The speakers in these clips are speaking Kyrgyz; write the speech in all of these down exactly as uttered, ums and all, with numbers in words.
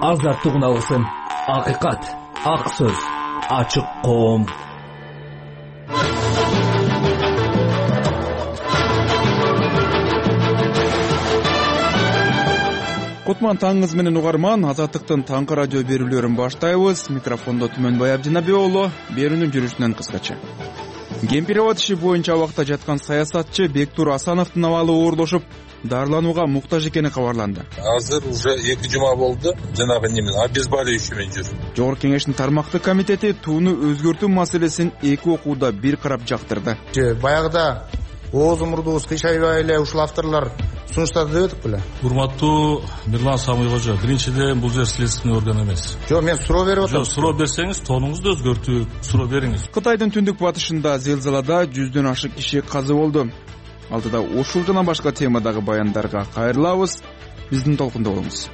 азаттык уналсын. Акыйкат, ак сөз, ачык коом. Кутман таңыңыз менен угарман, Азаттыктын таңкы радио берүүлөрүн баштайбыз. Микрофондо Түмөнбай Абдинабек уулу. Берүүнүн жүрүшүнөн кыскача. Кемпирабад иши боюнча абакта жаткан саясатчы Бектур Асановдун абалы оорлошуп, дарыланууга муктаж экени кабарланды. Азыр уже эки жума болду, жанагы немен обезболивающий менен жүр. Жогорку кеңештин тармактык комитети тууну өзгөртүү маселесин эки окууда бир карап жактырды. Баягыда ооз мурдубуз кыйшайбай эле ушул авторлор сунуштады дебедик беле? Урматтуу Мирлан Самый кожо, биринчиден бул жер следственный орган эмес. Жок, мен суроо берип атам. Жок, суроо берсеңиз, тонуңузду өзгөртүп, суроо бериңиз. Кытайдын түндүк батышында зилзалада жүздөн ашык киши каза болду. Алдыда ушул жана башка темадагы баяндарга кайрылабыз. Биздин толкунда болуңуз.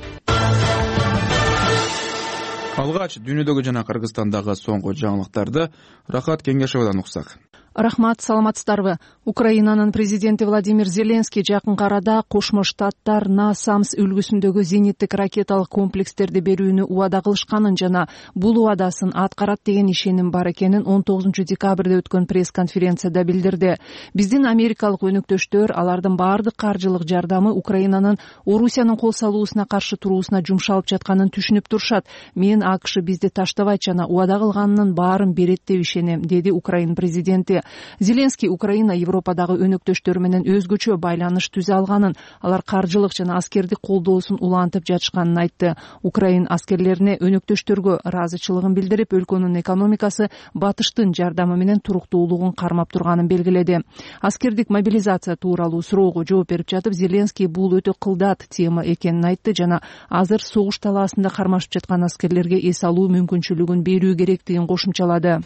Алгач дүйнөдөгү жана Кыргызстандагы соңку жаңылыктарды Рахат Кеңешовдон уксак. Рахмат, саламатсыздарбы? Украинанын президенти Владимир Зеленский жакынкы арада Кошмо Штаттар Насамс үлгүсүндөгү зениттик ракеталык комплекстерди берүүнү убада кылышканын жана бул убадасын аткарат деген ишеним бар экенин он тогузунчу декабрда өткөн пресс-конференцияда билдирди. Биздин америкалык өнөктөштөр алардын баардык каржылык жардамы Украинанын Орусиянын кол салуусуна каршы туруусуна жумшалып жатканын түшүнүп турушат. Мен АКШ бизди таштабайт жана убада кылганынын баарын берет деп ишенем, деди Украин президенти. Зеленский Украина Европадагы өнөктөштөр менен өзгөчө байланыш түзө алганын, алар каржылык жана аскердик колдоосун улантып жатышканын айтты. Украин аскерлерине өнөктөштөргө ыраазычылыгын билдирип, өлкөнүн экономикасы батыштын жардамы менен туруктуулугун кармап турганын белгиледи. Аскердик мобилизация тууралуу суроого жооп берип жатып, Зеленский бул өтө кылдат тема экенин айтты жана азыр согуш талаасында кармашып жаткан аскерлерге эс алуу мүмкүнчүлүгүн берүү керектигин кошумчалады.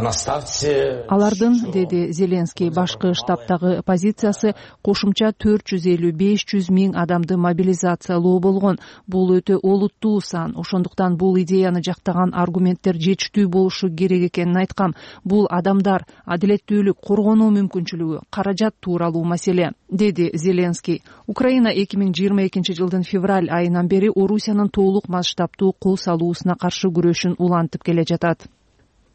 Алардын, деди Зеленский, башкы штабтагы позициясы кошумча төрт жүз элүү беш жүз миң адамды мобилизациялоо болгон. Бул өтө олуттуу сан. Ошондуктан бул идеяны жактаган аргументтер жетиштүү болушу керек экенин айткам. Бул адамдар, адилеттүүлүк, коргонуу мүмкүнчүлүгү, каражат тууралуу маселе, деди Зеленский. Украина эки миң жыйырма экинчи жылдын февраль айынан бери Орусиянын толук масштабтуу кол салуусуна каршы күрөшүн улантып келе жатат.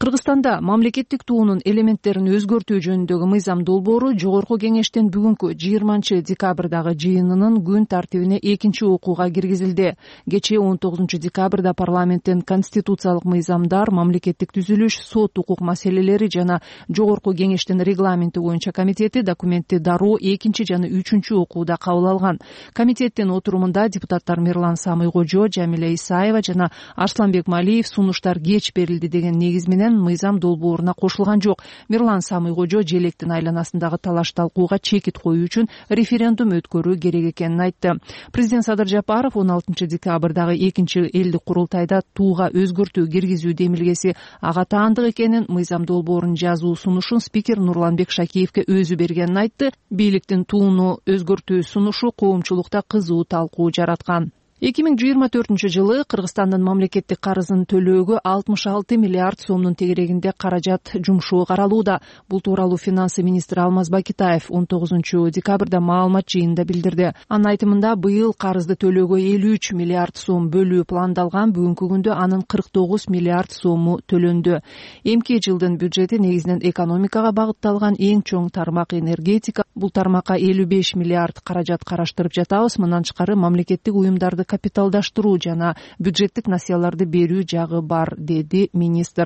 Кыргызстанда мамлекеттик туунун элементтерин өзгөртүү жөнүндөгү мыйзам долбоору Жогорку кеңештин бүгүнкү жыйырманчы декабрдагы жыйынынын күн тартибине экинчи окууга киргизилди. Кечээ он тогузунчу декабрда парламенттин конституциялык мыйзамдар, мамлекеттик түзүлүш, сот укук маселелери жана Жогорку кеңештин регламенти боюнча комитети документти дароо экинчи жана үчүнчү окууда кабыл алган. Комитеттин отурумунда депутаттар Мирлан Самый кожо, Жамиля Исаева жана Арсланбек Малиев сунуштар кеч берилди деген негиз менен мыйзам долбооруна кошулган жок. Мирлан Самый кожо желектин айланасындагы талаш талкууга чекит коюу үчүн референдум өткөрүү керек экенин айтты. Президент Садыр Жапаров он алтынчы декабрдагы экинчи элдик курултайда тууга өзгөртүү киргизүү демилгеси ага таандык экенин, мыйзам долбоорун жазуу сунушун спикер Нурланбек Шакиевке өзү бергенин айтты. Бийликтин тууну өзгөртүү сунушу коомчулукта кызуу талкуу жараткан. эки миң жыйырма төртүнчү жылы Кыргызстандын мамлекеттик карызын төлөөгө алтымыш алты миллиард сомдун тегерегинде каражат жумшоо каралууда. Бул тууралуу финансы министри Алмаз Бакитаев он тогузунчу декабрда маалымат жыйынында билдирди. Анын айтымында быйыл карызды төлөөгө элүү үч миллиард сом бөлүү пландалган, бүгүнкү күндө анын кырк тогуз миллиард сому төлөндү. Эмки жылдын бюджети негизинен экономикага багытталган, эң чоң тармак энергетика. Бул тармакка элүү беш миллиард каражат караштырып жатабыз. Мындан тышкары мамлекеттик уюмдарды капиталдаштыруу жана бюджеттик насыяларды берүү жагы бар, деди министр.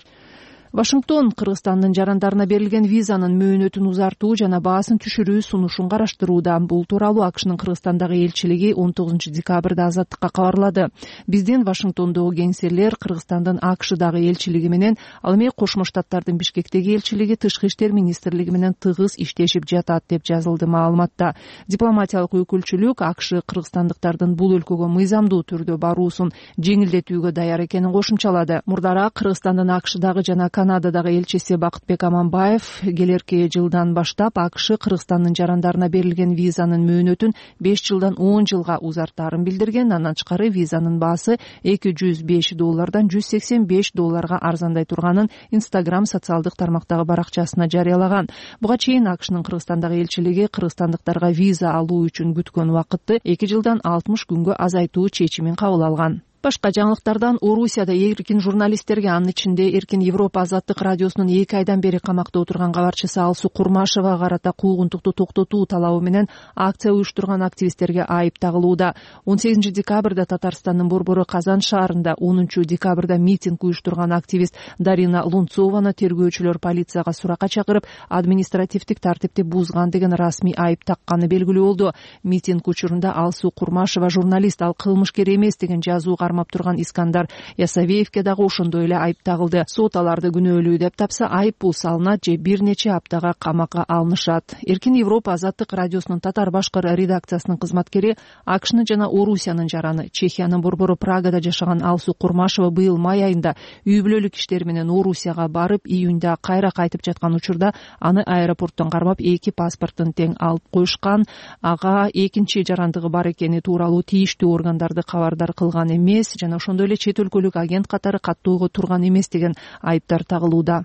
Вашингтон Кыргызстандын жарандарына берилген визанын мөөнөтүн узартуу жана баасын түшүрүү сунушун караштырууда. Бул тууралуу АКШнын Кыргызстандагы элчилиги он тогузунчу декабрда Азаттыкка кабарлады. Биздин Вашингтондогу кеңселер Кыргызстандын АКШдагы элчилиги менен, ал эми Кошмо Штаттардын Бишкектеги элчилиги Тышкы иштер министрлиги менен тыгыз иштешип жатат деп жазылды маалыматта. Дипломатиялык өкүлчүлүк АКШ кыргызстандыктардын бул өлкөгө мыйзамдуу түрдө баруусун жеңилдетүүгө даяр экенин кошумчалады. Мурдараак Кыргызстандын АКШдагы жана Канададагы элчиси Бакытбек Аманбаев келерки жылдан баштап АКШ Кыргызстандын жарандарына берилген визанын мөөнөтүн беш жылдан он жылга узартаарын билдирген. Андан тышкары визанын баасы эки жүз беш доллардан жүз сексен беш долларга арзандай турганын Instagram социалдык тармактагы баракчасына жарыялаган. Буга чейин АКШнын Кыргызстандагы элчилиги кыргызстандыктарга виза алуу үчүн күткөн убакытты эки жылдан алтымыш күнгө азайтуу чечимин кабыл алган. Башка жаңылыктардан Орусияда эркин журналисттерге, анын ичинде Эркин Европа азаттык радиосунун эки айдан бери камакта отурган кабарчысы Алсу Курмашевага карата куугунтукту токтотуу талабы менен акция уюштурган активисттерге айып тагылууда. он сегизинчи декабрда Татарстандын Борбору Казан шаарында, онунчу декабрда митинг уюштурган активист Дарина Лунцованы тергөөчүлөр полицияга суракка чакырып, административдик тартипти бузган деген расмий айып такканы белгилүү болду. Митинг учурунда Алсу Курмашева журналист, ал кылмышкер эмес деген жазуу кармап турган Искандар Ясавеевке дагы ошондой эле айып тагылды. Сот аларды күнөөлүү деп тапса, айып бул салынат же бир нече аптага камакка алынышат. Эркин Европа азаттык радиосунун татар башкар редакциясынын кызматкери, АКШнын жана Орусиянын жараны, Чехиянын борбору Прагада жашаган Алсу Курмашева быйыл май айында үй бүлөлүк иштери менен Орусияга барып, июнда кайра кайтып жаткан учурда аны аэропорттон кармап эки паспортун тең алып коюшкан. Ага экинчи жарандыгы бар экени тууралуу тийиштүү органдарды кабардар кылган эмес жана ошондой эле чет өлкөлүк агент катары каттоого турган эмес деген айыптар тагылууда.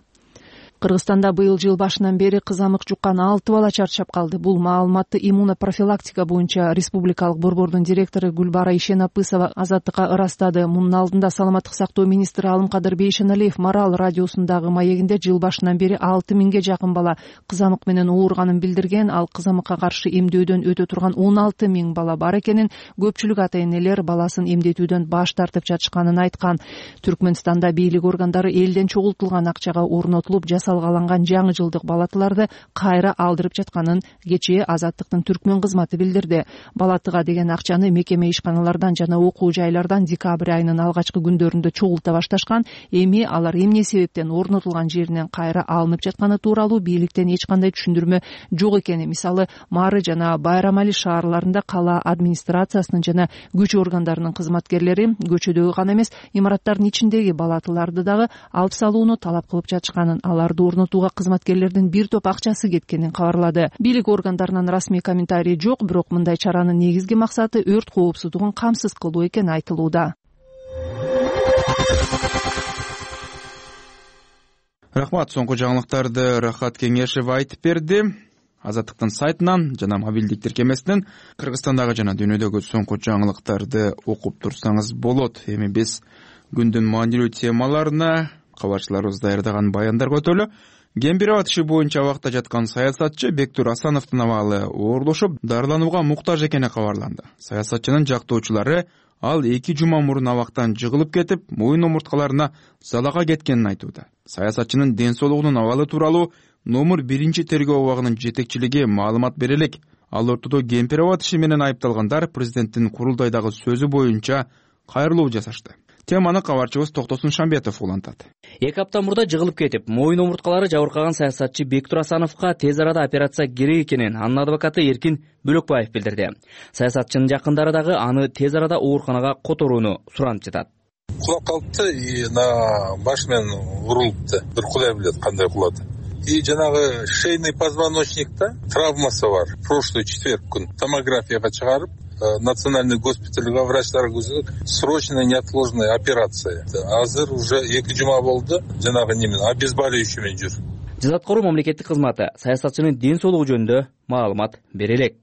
Кыргызстанда быйыл жыл башынан бери кызамык жуккан алты бала чарчап калды. Бул маалыматты иммунопрофилактика боюнча республикалык борбордун директору Гүлбара Ишенапысова азаттыкка ырастады. Мунун алдында саламаттык сактоо министри Алымкадыр Бейшеналиев Марал радиосундагы маегинде жыл башынан бери алты миңге жакын бала кызамык менен ооруганын билдирген. Ал кызамыкка каршы эмдөөдөн өтө турган он алты миң бала бар экенин, көпчүлүк ата-энелер баласын эмдетүүдөн баш тартып жатышканын айткан. Түркмөнстанда бийлик органдары элден чогултулган акчага орнотулуп жасалгаланган жаңы жылдык балатыларды кайра алдырып жатканын кечээ Азаттыктын Түркмөн кызматы билдирди. Балатыга деген акчаны мекеме ишканалардан жана окуу жайлардан декабрь айынын алгачкы күндөрүндө чогулта башташкан. Эми алар эмне себептен орнотулган жеринен кайра алынып жатканы тууралуу бийликтен эч кандай түшүндүрмө жок экени. Мисалы, Мары жана Байрамали шаарларында кала администрациясынын жана күч органдарынын кызматкерлери көчөдөгү гана эмес, имараттардын ичиндеги балатыларды дагы алып салууну талап кылып жатышканын, аларды орнотууга кызматкерлердин бир топ акчасы кеткенин кабарлады. Бийлик органдарынан расмий комментарий жок, бирок мындай чаранын негизги максаты өрт коопсуздугун камсыз кылуу экени айтылууда. Рахмат, соңку жаңылыктарды Рахат Кеңешев айтып берди. Азаттыктын сайтынан жана мобилдик тиркемесинен Кыргызстандагы жана дүйнөдөгү соңку жаңылыктарды окуп турсаңыз болот. Эми биз күндүн маанилүү темаларына кабарчыларыбыз даярдаган баяндарга өтөлү. Кемпир аба тиши боюнча абакта жаткан саясатчы Бектур Асановдун абалы оорлошуп, дарыланууга муктаж экени кабарланды. Саясатчынын жактоочулары ал эки жума мурун абактан жыгылып кетип, моюн омурткаларына залага кеткенин айтууда. Саясатчынын ден соолугунун абалы тууралуу номер биринчи тергөө абагынын жетекчилиги маалымат бере элек. Ал ортодо кемпир аба тиши менен айыпталгандар президенттин курултайдагы сөзү боюнча кайрылуу жасашты. Теманы кабарчыбыз Токтосун Шамбетов улантат. Эки апта мурда жыгылып кетип, моюн омурткалары жабыркаган саясатчы Бектур Асановго тез арада операция керек экенин анын адвокаты Эркин Бөлөкбаев билдирди. Саясатчынын жакындары дагы аны тез арада ооруканага которууну суранып жатат. Кулап калыпты, и на баш менен урулупту. Бир Кудай билет кандай кулады. И жанагы шейный позвоночникта травмасы бар. Прошлый четверг күн томографияга чыгарып, национальный госпитальга врачтар көзөп, срочная неотложная операция. Азыр уже эки жума болду, жанагы немен обезболивающий менен жүр. Жазаткоруу мамлекеттик кызматы саясатчынын ден соолугу жөнүндө маалымат бере элек.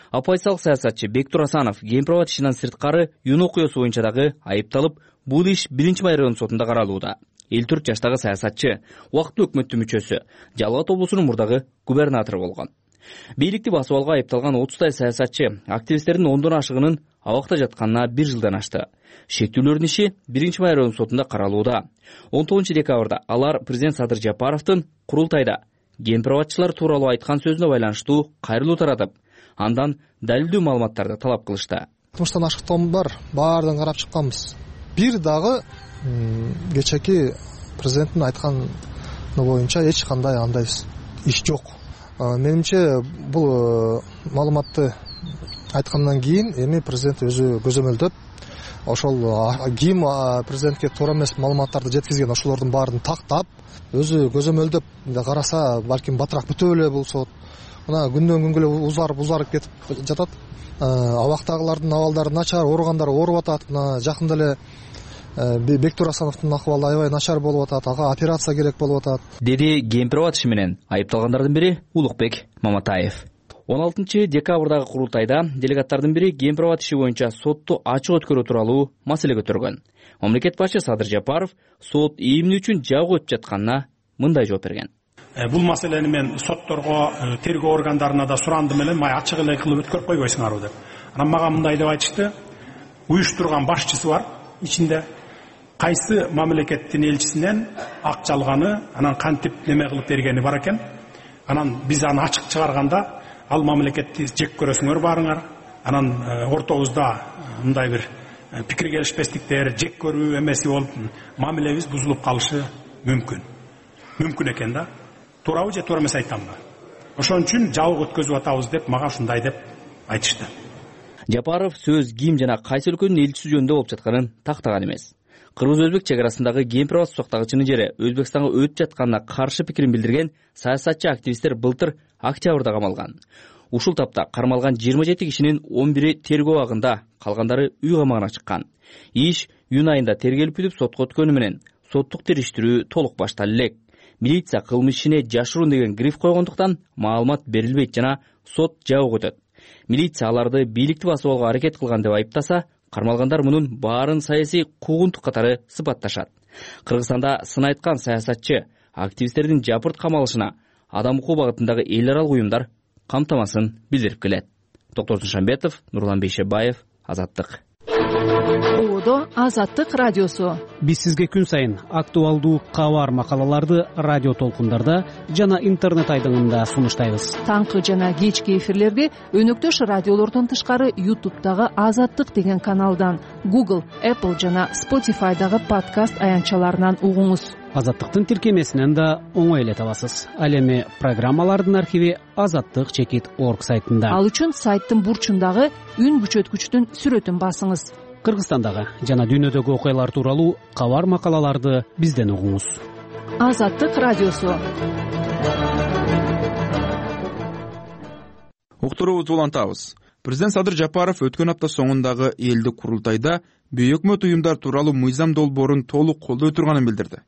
Оппозициялык саясатчы Бектур Асанов кемпир аба тишинен сырткары юн окуясы боюнча дагы айыпталып, бул иш биринчи май район сотунда каралууда. элүү төрт жаштагы саясатчы убактылуу өкмөттүн мүчөсү, Жалал Абад облусунун мурдагы губернатору болгон. Бийликти басып алууга айыпталган отуздай саясатчы активисттердин ондон ашыгынын абакта жатканына бир жылдан ашты. Шектүүлөрдүн иши биринчи май район сотунда каралууда. он тогузунчу декабрда алар президент Садыр Жапаровдун курултайда кемпир абатчылар тууралуу айткан сөзүнө байланыштуу кайрылуу таратып, андан далилдүү маалыматтарды талап кылышты. Кылмыштан ашыктоом бар, баардыгын карап чыкканбыз. Бир дагы кечеки президенттин айтканы боюнча эч кандай андай иш жок. Менимче бул маалыматты айткандан кийин эми президент өзү көзөмөлдөп ошол ким президентке туура эмес маалыматтарды жеткизген ошолордун баарын тактап өзү көзөмөлдөп караса балким батыраак бүтө эле болсо мына күндөн күнгө эле узарып узарып кетип жатат. Абактагылардын абалдары начар, ооругандар ооруп атат. Мына жакында эле Бектур Асановдун акыбалы аябай начар болуп атат, ага операция керек болуп атат, деди Кемпирова иши менен айыпталгандардын бири Улукбек Маматаев. он алтынчы декабрдагы курултайда делегаттардын бири Кемпирова иши боюнча сотту ачык өткөрүү тууралуу маселе көтөргөн. Мамлекет башчы Садыр Жапаров сот ийимдүү үчүн жабык өтүп жатканына мындай жооп берген. Бул маселени мен сотторго, тергөө органдарына да сурандым эле, май ачык эле кылып өткөрүп койбойсуңарбы деп. Анан мага мындай деп айтышты: уюштурган башчысы бар ичинде, кайсы мамлекеттин элчисинен акча алганы, анан кантип неме кылып бергени бар экен. Анан биз аны ачык чыгарганда ал мамлекетти жек көрөсүңөр баарыңар. Анан ортобузда мындай бир пикир келишпестиктер, жек көрүү эмеси болуп, мамилебиз бузулуп калышы мүмкүн. Мүмкүн экен да. Туурабы же туура эмес айтамбы? Ошон үчүн жабык өткөзүп атабыз деп мага ушундай деп айтышты. Жапаров сөз ким жана кайсы өлкөнүн элчиси жөнүндө болуп жатканын тактаган эмес. Кыргыз-өзбек чек арасындагы Кемпирова сактагычынын жери Өзбекстанга өтүп жатканына каршы пикирин билдирген саясатчы активисттер былтыр октябрда камалган. Ушул тапта кармалган жыйырма жети кишинин он бири тергөө абагында, калгандары үй камагына чыккан. Иш июнь айында тергелип бүтүп сотко өткөнү менен соттук териштирүү толук башталды элек. Милиция кылмыш ишине жашыруун деген гриф койгондуктан маалымат берилбейт жана сот жабык өтөт. Милиция аларды бийликти басып алууга аракет кылган деп айыптаса, кармалгандар мунун баарын саясий куугунтук катары сыпатташат. Кыргызстанда сын айткан саясатчы активисттердин жапырт камалышына адам укугу багытындагы эл аралык уюмдар камтамасын билдирип келет. Токтор Душанбетов, Нурлан Бейшебаев, Азаттык. Оодо Азаттык радиосу. Биз сизге күн сайын актуалдуу кабар макалаларды радио толкундарда жана интернет айдыңында сунуштайбыз. Таңкы жана кечки эфирлерди өнөктөш радиолордон тышкары YouTube'дагы Азаттык деген каналдан, Google, Apple жана Spotify'дагы подкаст аянтчаларынан угуңуз. Азаттыктын тиркемесинен да оңой эле табасыз. Ал эми программалардын архиви азаттык чекит орг сайтында. Ал үчүн сайттын бурчундагы үн күчөткүчтүн сүрөтүн басыңыз. Кыргызстандагы жана дүйнөдөгү окуялар тууралуу кабар макалаларды бизден угуңуз. Азаттык радиосу. Уктуруубузду улантабыз. Президент Садыр Жапаров өткөн апта соңундагы элдик курултайда бейөкмөт уюмдар тууралуу мыйзам долбоорун толук колдой турганын билдирди.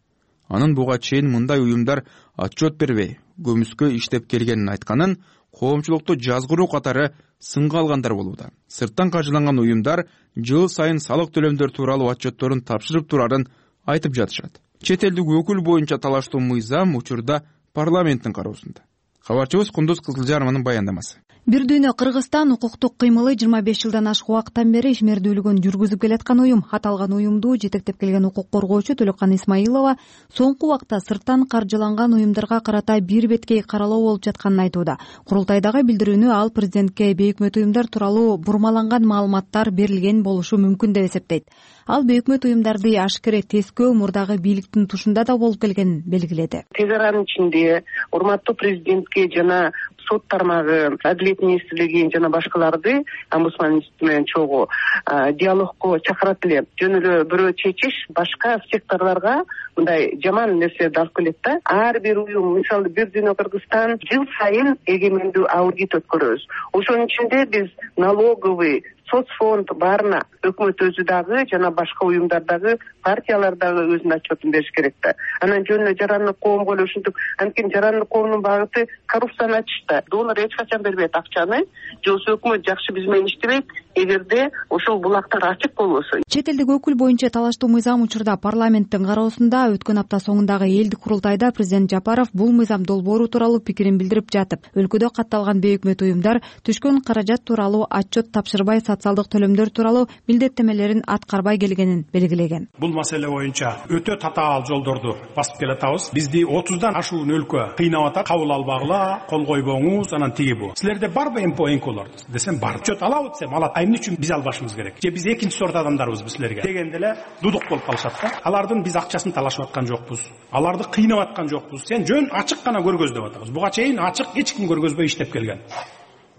Анын буга чейин мындай уюмдар отчет бербей, көмүскө иштеп келгенин айтканын, коомчулукту жазгыруу катары сынга алгандар болууда. Сырттан каржыланган уюмдар жыл сайын салык төлөмдөр тууралуу отчетторун тапшырып турарын айтып жатышат. Чет элдик өкүл боюнча талаштуу мыйзам учурда парламенттин кароосунда. Кабарчыбыз Кундуз Кызылжарованын баяндамасы. Бир дүйнө Кыргызстан укуктук кыймылы жыйырма беш жылдан ашык убакыттан бери ишмердүүлүгүн жүргүзүп келаткан уюм. Аталган уюмду жетектеп келген укук коргоочу Төлөккан Исмаилова соңку убакта сырттан каржыланган уюмдарга карата бир беткей каралоо болуп жатканын айтууда. Курултайдагы билдирүүнү ал президентке бейөкмөт уюмдар тууралуу бурмаланган маалыматтар берилген болушу мүмкүн деп эсептейт. Ал бейөкмөт уюмдарды ашкере тескөө мурдагы бийликтин тушунда да болуп келгенин белгиледи. Тез аранын ичинде урматтуу президентке жана сот тармагы, Адилет министрлиги жана башкаларды омбудсман институту менен чогуу диалогко чакырат эле. Жөн эле бирөө чечиш башка секторлорго мындай жаман нерселерди алып келет да. Ар бир уюм, мисалы бир дүйнө Кыргызстан жыл сайын эгемендүү аудит өткөрөбүз. Ошонун ичинде биз налоговый, соцфонд баарына өкмөт өзү дагы жана башка уюмдардагы партиялар дагы өзүнүн отчетун бериш керек да. Анан жөн эле жарандык коомго эле ушинтип, анткени жарандык коомдун багыты коррупцияны ачышта. Донор эч качан бербейт акчаны, же болбосо өкмөт жакшы биз менен иштебейт. Эгерде ошол булактар ачык болбосо. Чет элдик өкүл боюнча талаштуу мыйзам учурда парламенттин кароосунда. Өткөн апта соңундагы элдик курултайда президент Жапаров бул мыйзам долбоору тууралуу пикирин билдирип жатып, өлкөдө катталган бейөкмөт уюмдар түшкөн каражат тууралуу отчет тапшырбай, социалдык төлөмдөр тууралуу милдеттемелерин аткарбай келгенин белгилеген. Бул маселе боюнча өтө татаал жолдорду басып келатабыз. Бизди отуздан ашуун өлкө кыйнап атат. Кабыл албагыла, кол койбоңуз, анан тиги бу. Силерде барбы эмпо энколор десем бар. Отчет алабы десем алат. Эмне үчүн биз албашыбыз керек? Же биз экинчи сорт адамдарбызбы силерге? Дегенде эле дудук болуп калышат да. Алардын биз акчасын талашып аткан жокпуз. Аларды кыйнап аткан жокпуз. Сен жөн ачык гана көргөз деп атабыз. Буга чейин ачык эч ким көргөзбөй иштеп келген.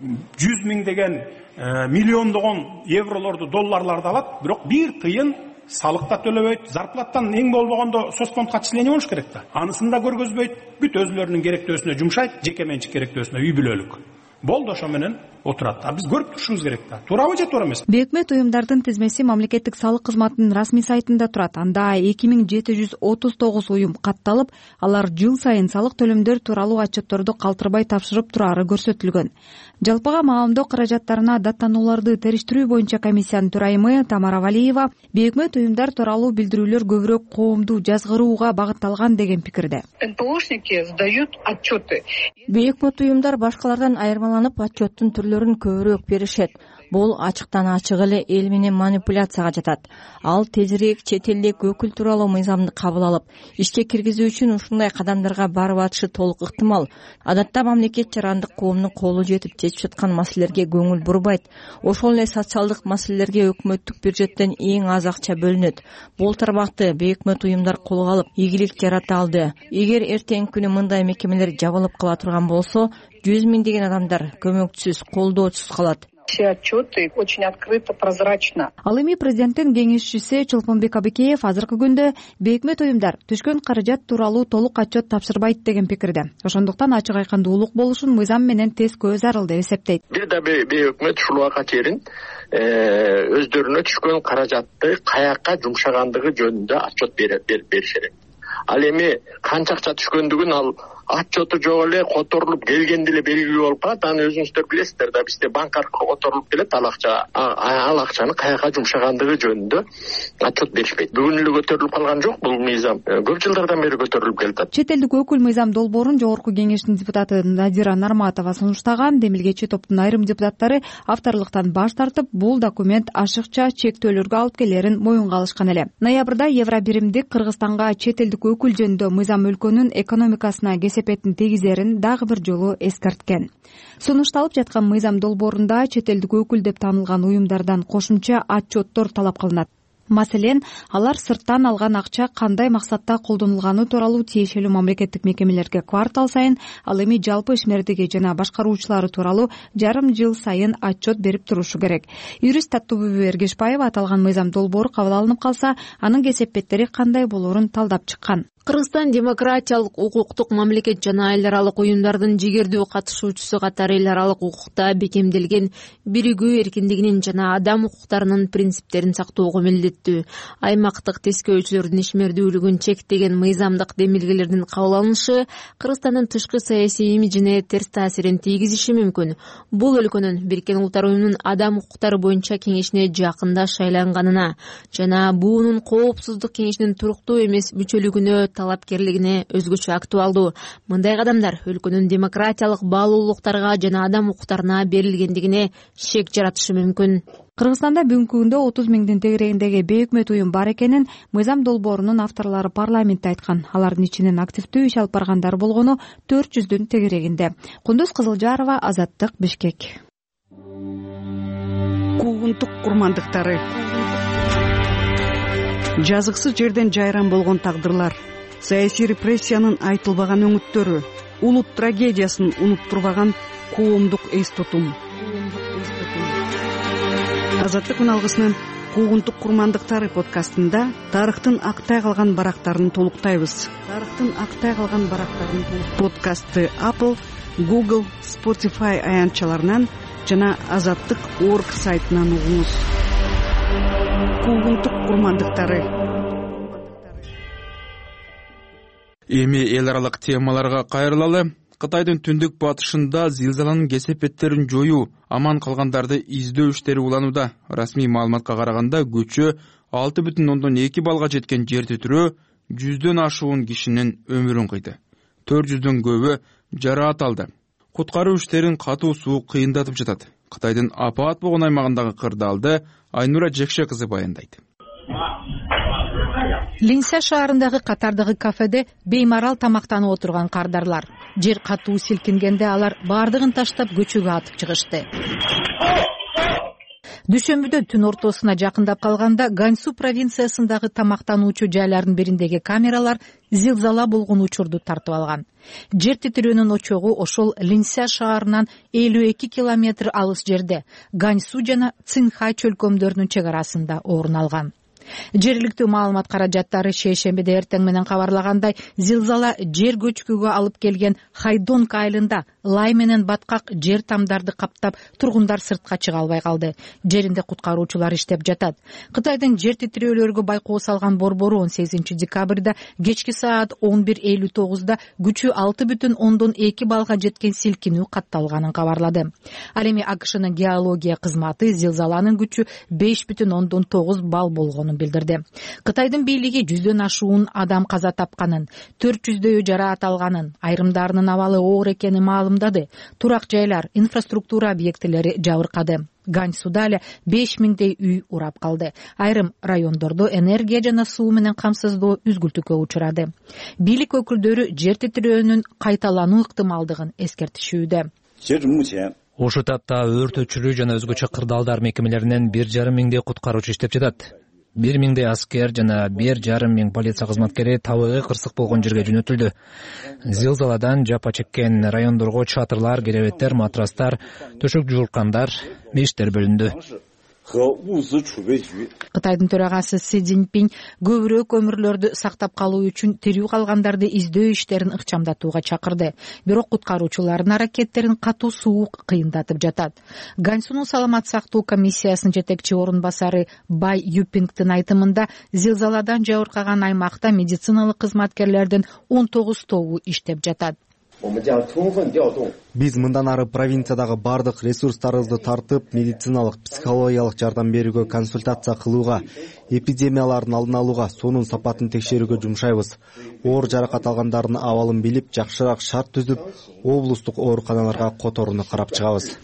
жүз миңдеген миллиондогон евролорду долларларды алат, бирок бир тыйын салык да төлөбөйт, зарплаттан эң болбогондо соцфондко отчисление болуш керек да. Анысын да көргөзбөйт, бүт өзүлөрүнүн керектөөсүнө жумшайт, жеке менчик керектөөсүнө, үй бүлөлүк. Болду, ошо менен отурат. А биз көрүп турушубуз керек да. Туурабы же туура эмеспи? Бейөкмөт уюмдардын тизмеси мамлекеттик салык кызматынын расмий сайтында турат. Анда эки миң жети жүз отуз тогуз уюм катталып, алар жыл сайын салык төлөмдөр тууралуу отчетторду калтырбай тапшырып турары көрсөтүлгөн. Жалпыга маамдоо каражаттарына даттанууларды териштирүү боюнча комиссиянын төрайымы Тамара Валиева бейөкмөт уюмдар тууралуу билдирүүлөр көбүрөөк коомду жазгырууга багытталган деген пикирде. эн пэ ошники сдают отчеты. Бейөкмөт уюмдар башкалардан айырмаланып отчеттун түрлөрүн көбүрөөк беришет. Бул ачыктан ачык эле эл менен манипуляцияга жатат. Ал тезирээк чет элдик өкүл тууралуу мыйзамды кабыл алып, ишке киргизүү үчүн ушундай кадамдарга барып атышы толук ыктымал. Адатта мамлекет жарандык коомдун колу жетип чечип жаткан маселелерге көңүл бурбайт. Ошол эле социалдык маселелерге өкмөттүк бюджеттен эң аз акча бөлүнөт. Бул тармакты бейөкмөт уюмдар колго алып, ийгилик жарата алды. Эгер эртеңки күнү мындай мекемелер жабылып кала турган болсо, жүз миңдеген адамдар көмөкчүсүз, колдоочусуз калат. Все отчеты очень открыто, прозрачно. Ал эми президенттин кеңешчиси Чолпонбек Абыкеев азыркы күндө бейөкмөт уюмдар түшкөн каражат тууралуу толук отчет тапшырбайт деген пикирде. Ошондуктан ачык айкындуулук болушун мыйзам менен тескөө зарыл деп эсептейт. Бир да бейөкмөт ушул убакка чейин өздөрүнө түшкөн каражатты каякка жумшагандыгы жөнүндө отчет бериш керек. Ал эми канча акча түшкөндүгүн ал отчету жок эле которулуп келгенде эле белгилүү болуп калат. Аны өзүңүздөр билесиздер да, бизде банк аркылуу которулуп келет, ал акча ал акчаны каяка жумшагандыгы жөнүндө отчет беришпейт. Бүгүн эле көтөрүлүп калган жок, бул мыйзам көп жылдардан бери көтөрүлүп келет. Чет элдик өкүл мыйзам долбоорун жогорку кеңештин депутаты Надира Нарматова сунуштаган. Демилгечи топтун айрым депутаттары авторлуктан баш тартып, бул документ ашыкча чектөөлөргө алып келерин моюнга алышкан эле. Ноябрда Евробиримдик Кыргызстанга чет элдик өкүл жөнүндө мыйзам өлкөнүн экономикасына кесепетин тийгизерин дагы бир жолу эскерткен. Сунушталып жаткан мыйзам долбоорунда чет элдик өкүл деп таанылган уюмдардан кошумча отчеттор талап кылынат. Маселен, алар сырттан алган акча кандай максатта колдонулганы тууралуу тиешелүү мамлекеттик мекемелерге квартал сайын, ал эми жалпы ишмердиги жана башкаруучулары тууралуу жарым жыл сайын отчет берип турушу керек. Юрист Таттыбүбү Эргешбаева аталган мыйзам долбоору кабыл алынып калса, анын кесепеттери кандай болорун талдап чыккан. Кыргызстан демократиялык, укуктук мамлекет жана эл аралык уюмдардын жигердүү катышуучусу катары эл аралык укукта бекемделген биригүү эркиндигинин жана адам укуктарынын принциптерин сактоого милдеттүү. Аймактык тескөөчүлөрдүн ишмердүүлүгүн чектеген мыйзамдык демилгелердин кабыл алынышы Кыргызстандын тышкы саясий имиджине терс таасирин тийгизиши мүмкүн. Бул өлкөнүн Бириккен Улуттар уюмунун адам укуктары боюнча кеңешине жакында шайланганына жана буунун коопсуздук кеңешинин туруктуу эмес мүчөлүгүнө талапкерлигине өзгөчө актуалдуу. Мындай кадамдар өлкөнүн демократиялык баалуулуктарга жана адам укуктарына берилгендигине шек жаратышы мүмкүн. Кыргызстанда бүгүнкү күндө отуз миңдин тегерегиндеги бейөкмөт уюм бар экенин мыйзам долбоорунун авторлору парламентте айткан. Алардын ичинен активдүү иш алып баргандар болгону төрт жүздүн тегерегинде. Кундуз Кызылжарова, Азаттык, Бишкек. Куугунтук курмандыктары. Жазыксыз жерден жайран болгон тагдырлар, саясий репрессиянын айтылбаган өңүттөрү, улут трагедиясын унуттурбаган коомдук эс тутум. Азаттык алгысынын Куугунтук курмандыктары подкастында тарыхтын актай калган барактарын толуктайбыз. Тарыхтын актай калган барактарын подкастты Apple, Google, Spotify аянтчаларынан жана азаттык точка орг сайтынан угуңуз. Куугунтук курмандыктары. Эми эл аралык темаларга кайрылалы. Кытайдын түндүк батышында зилзаланын кесепеттерин жоюу, аман калгандарды издөө иштери уланууда. Расмий маалыматка караганда күчү алты бүтүн ондон эки баллга жеткен жер титирөө жүздөн ашуун кишинин өмүрүн кыйды. төрт жүздөн көбү жараат алды. Куткаруу иштерин катуу суу кыйындатып жатат. Кытайдын апаат болгон аймагындагы кырдаалды Айнура Жекше кызы баяндайт. Линся шаарындагы катардагы кафеде беймарал тамактанып отурган кардарлар. Жер катуу силкингенде алар баардыгын таштап көчөгө атып чыгышты. Дүйшөмбүдө түн ортосуна жакындап калганда Ганьсу провинциясындагы тамактануучу жайлардын бириндеги камералар зилзала болгон учурду тартып алган. Жер титирөөнүн очогу ошол Линся шаарынан элүү эки километр алыс жерде Ганьсу жана Цинхай чөлкөмдөрүнүн чек арасында орун алган. Жергиликтүү маалымат каражаттары шейшембиде эртең менен кабарлагандай, зилзала жер көчкүгө алып келген Хайдонг айылында лай менен баткак жер тамдарды каптап, тургундар сыртка чыга албай калды. Жеринде куткаруучулар иштеп жатат. Кытайдын жер титирөөлөргө байкоо салган борбору он сегизинчи декабрда кечки саат он бир элүү тогузда күчү алты бүтүн ондон эки баллга жеткен силкинүү катталганын кабарлады. Ал эми АКШнын геология кызматы зилзаланын күчү беш бүтүн ондон тогуз балл болгонун билдирди. Кытайдын бийлиги жүздөн ашуун адам каза тапканын, төрт жүздөйү жараат алганын, айрымдарынын абалы оор экенин маалымдады. Турак жайлар, инфраструктура объектилери жабыркады. Ганьсуда эле беш миңдей үй урап калды. Айрым райондордо энергия жана суу менен камсыздоо үзгүлтүккө учурады. Бийлик өкүлдөрү жер титирөөнүн кайталануу ыктымалдыгын эскертишүүдө. Ошол тапта өрт өчүрүү жана өзгөчө кырдаалдар мекемелеринен бир жарым миңдей куткаруучу иштеп жатат. Бир миңдей аскер жана бир жарым миң полиция кызматкери табыгы кырсык болгон жерге жөнөтүлдү. Зилзаладан жапа чеккен райондорго чатырлар, керебеттер, матрастар, төшөк жуулкандар, мештер бөлүндү. Кытайдын төрагасы Си Цзиньпин көбүрөөк өмүрлөрдү сактап калуу үчүн тирүү калгандарды издөө иштерин ыкчамдатууга чакырды. Бирок куткаруучулардын аракеттерин катуу суук кыйындатып жатат. Ганьсунун саламат сактоо комиссиясынын жетекчи орун басары Бай Юпингдин айтымында, зилзаладан жабыркаган аймакта медициналык кызматкерлердин он тогуз тобу иштеп жатат. Биз мындан ары провинциядагы бардык ресурстарыбызды тартып, медициналык, психологиялык жардам берүүгө, консультация кылууга, эпидемиялардын алдын алууга, суунун сапатын текшерүүгө жумшайбыз. Оор жаракат алгандардын абалын билип, жакшыраак шарт түзүп, облустук ооруканаларга которууну карап чыгабыз.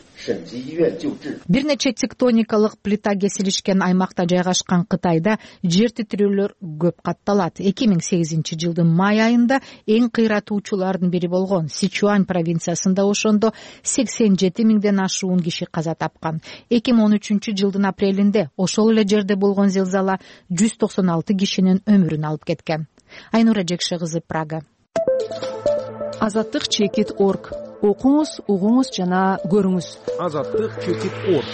Бир нече тектоникалык плита кесилишкен аймакта жайгашкан Кытайда жер титирөөлөр көп катталат. эки миң сегизинчи жылдын май айында эң кыйратуучулардын бири болгон Сичуань провинциясында ошондо сексен жети миңден ашуун киши каза тапкан. эки миң он үчүнчү жылдын апрелинде ошол эле жерде болгон зилзала жүз токсон алты кишинин өмүрүн алып кеткен. Айнура Жекше кызы, Прага. Азаттык чекит точка орг. Окуңуз, угуңуз жана көрүңүз. Азаттык чекит точка орг.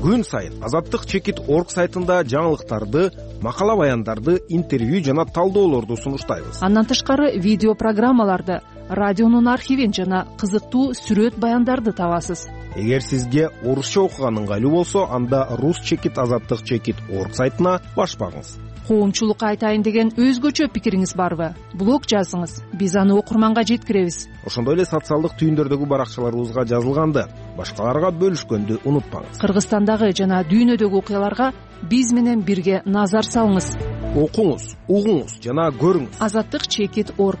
Күн сайын Азаттык чекит точка орг сайтында жаңылыктарды, макала баяндарды, интервью жана талдоолорду сунуштайбыз. Андан тышкары видео программаларды, радионун архивин жана кызыктуу сүрөт баяндарды табасыз. Эгер сизге орусча окуган ыңгайлуу болсо, анда рус чекит азаттык чекит точка орг сайтына баш багыңыз. Коомчулукка айтайын деген өзгөчө пикириңиз барбы? Блог жазыңыз, биз аны окурманга жеткиребиз. Ошондой эле социалдык түйүндөрдөгү баракчаларыбызга жазылганды, башкаларга бөлүшкөндү унутпаңыз. Кыргызстандагы жана дүйнөдөгү окуяларга биз менен бирге назар салыңыз. Окуңуз, угуңуз жана көрүңүз. Азаттык чекит точка орг.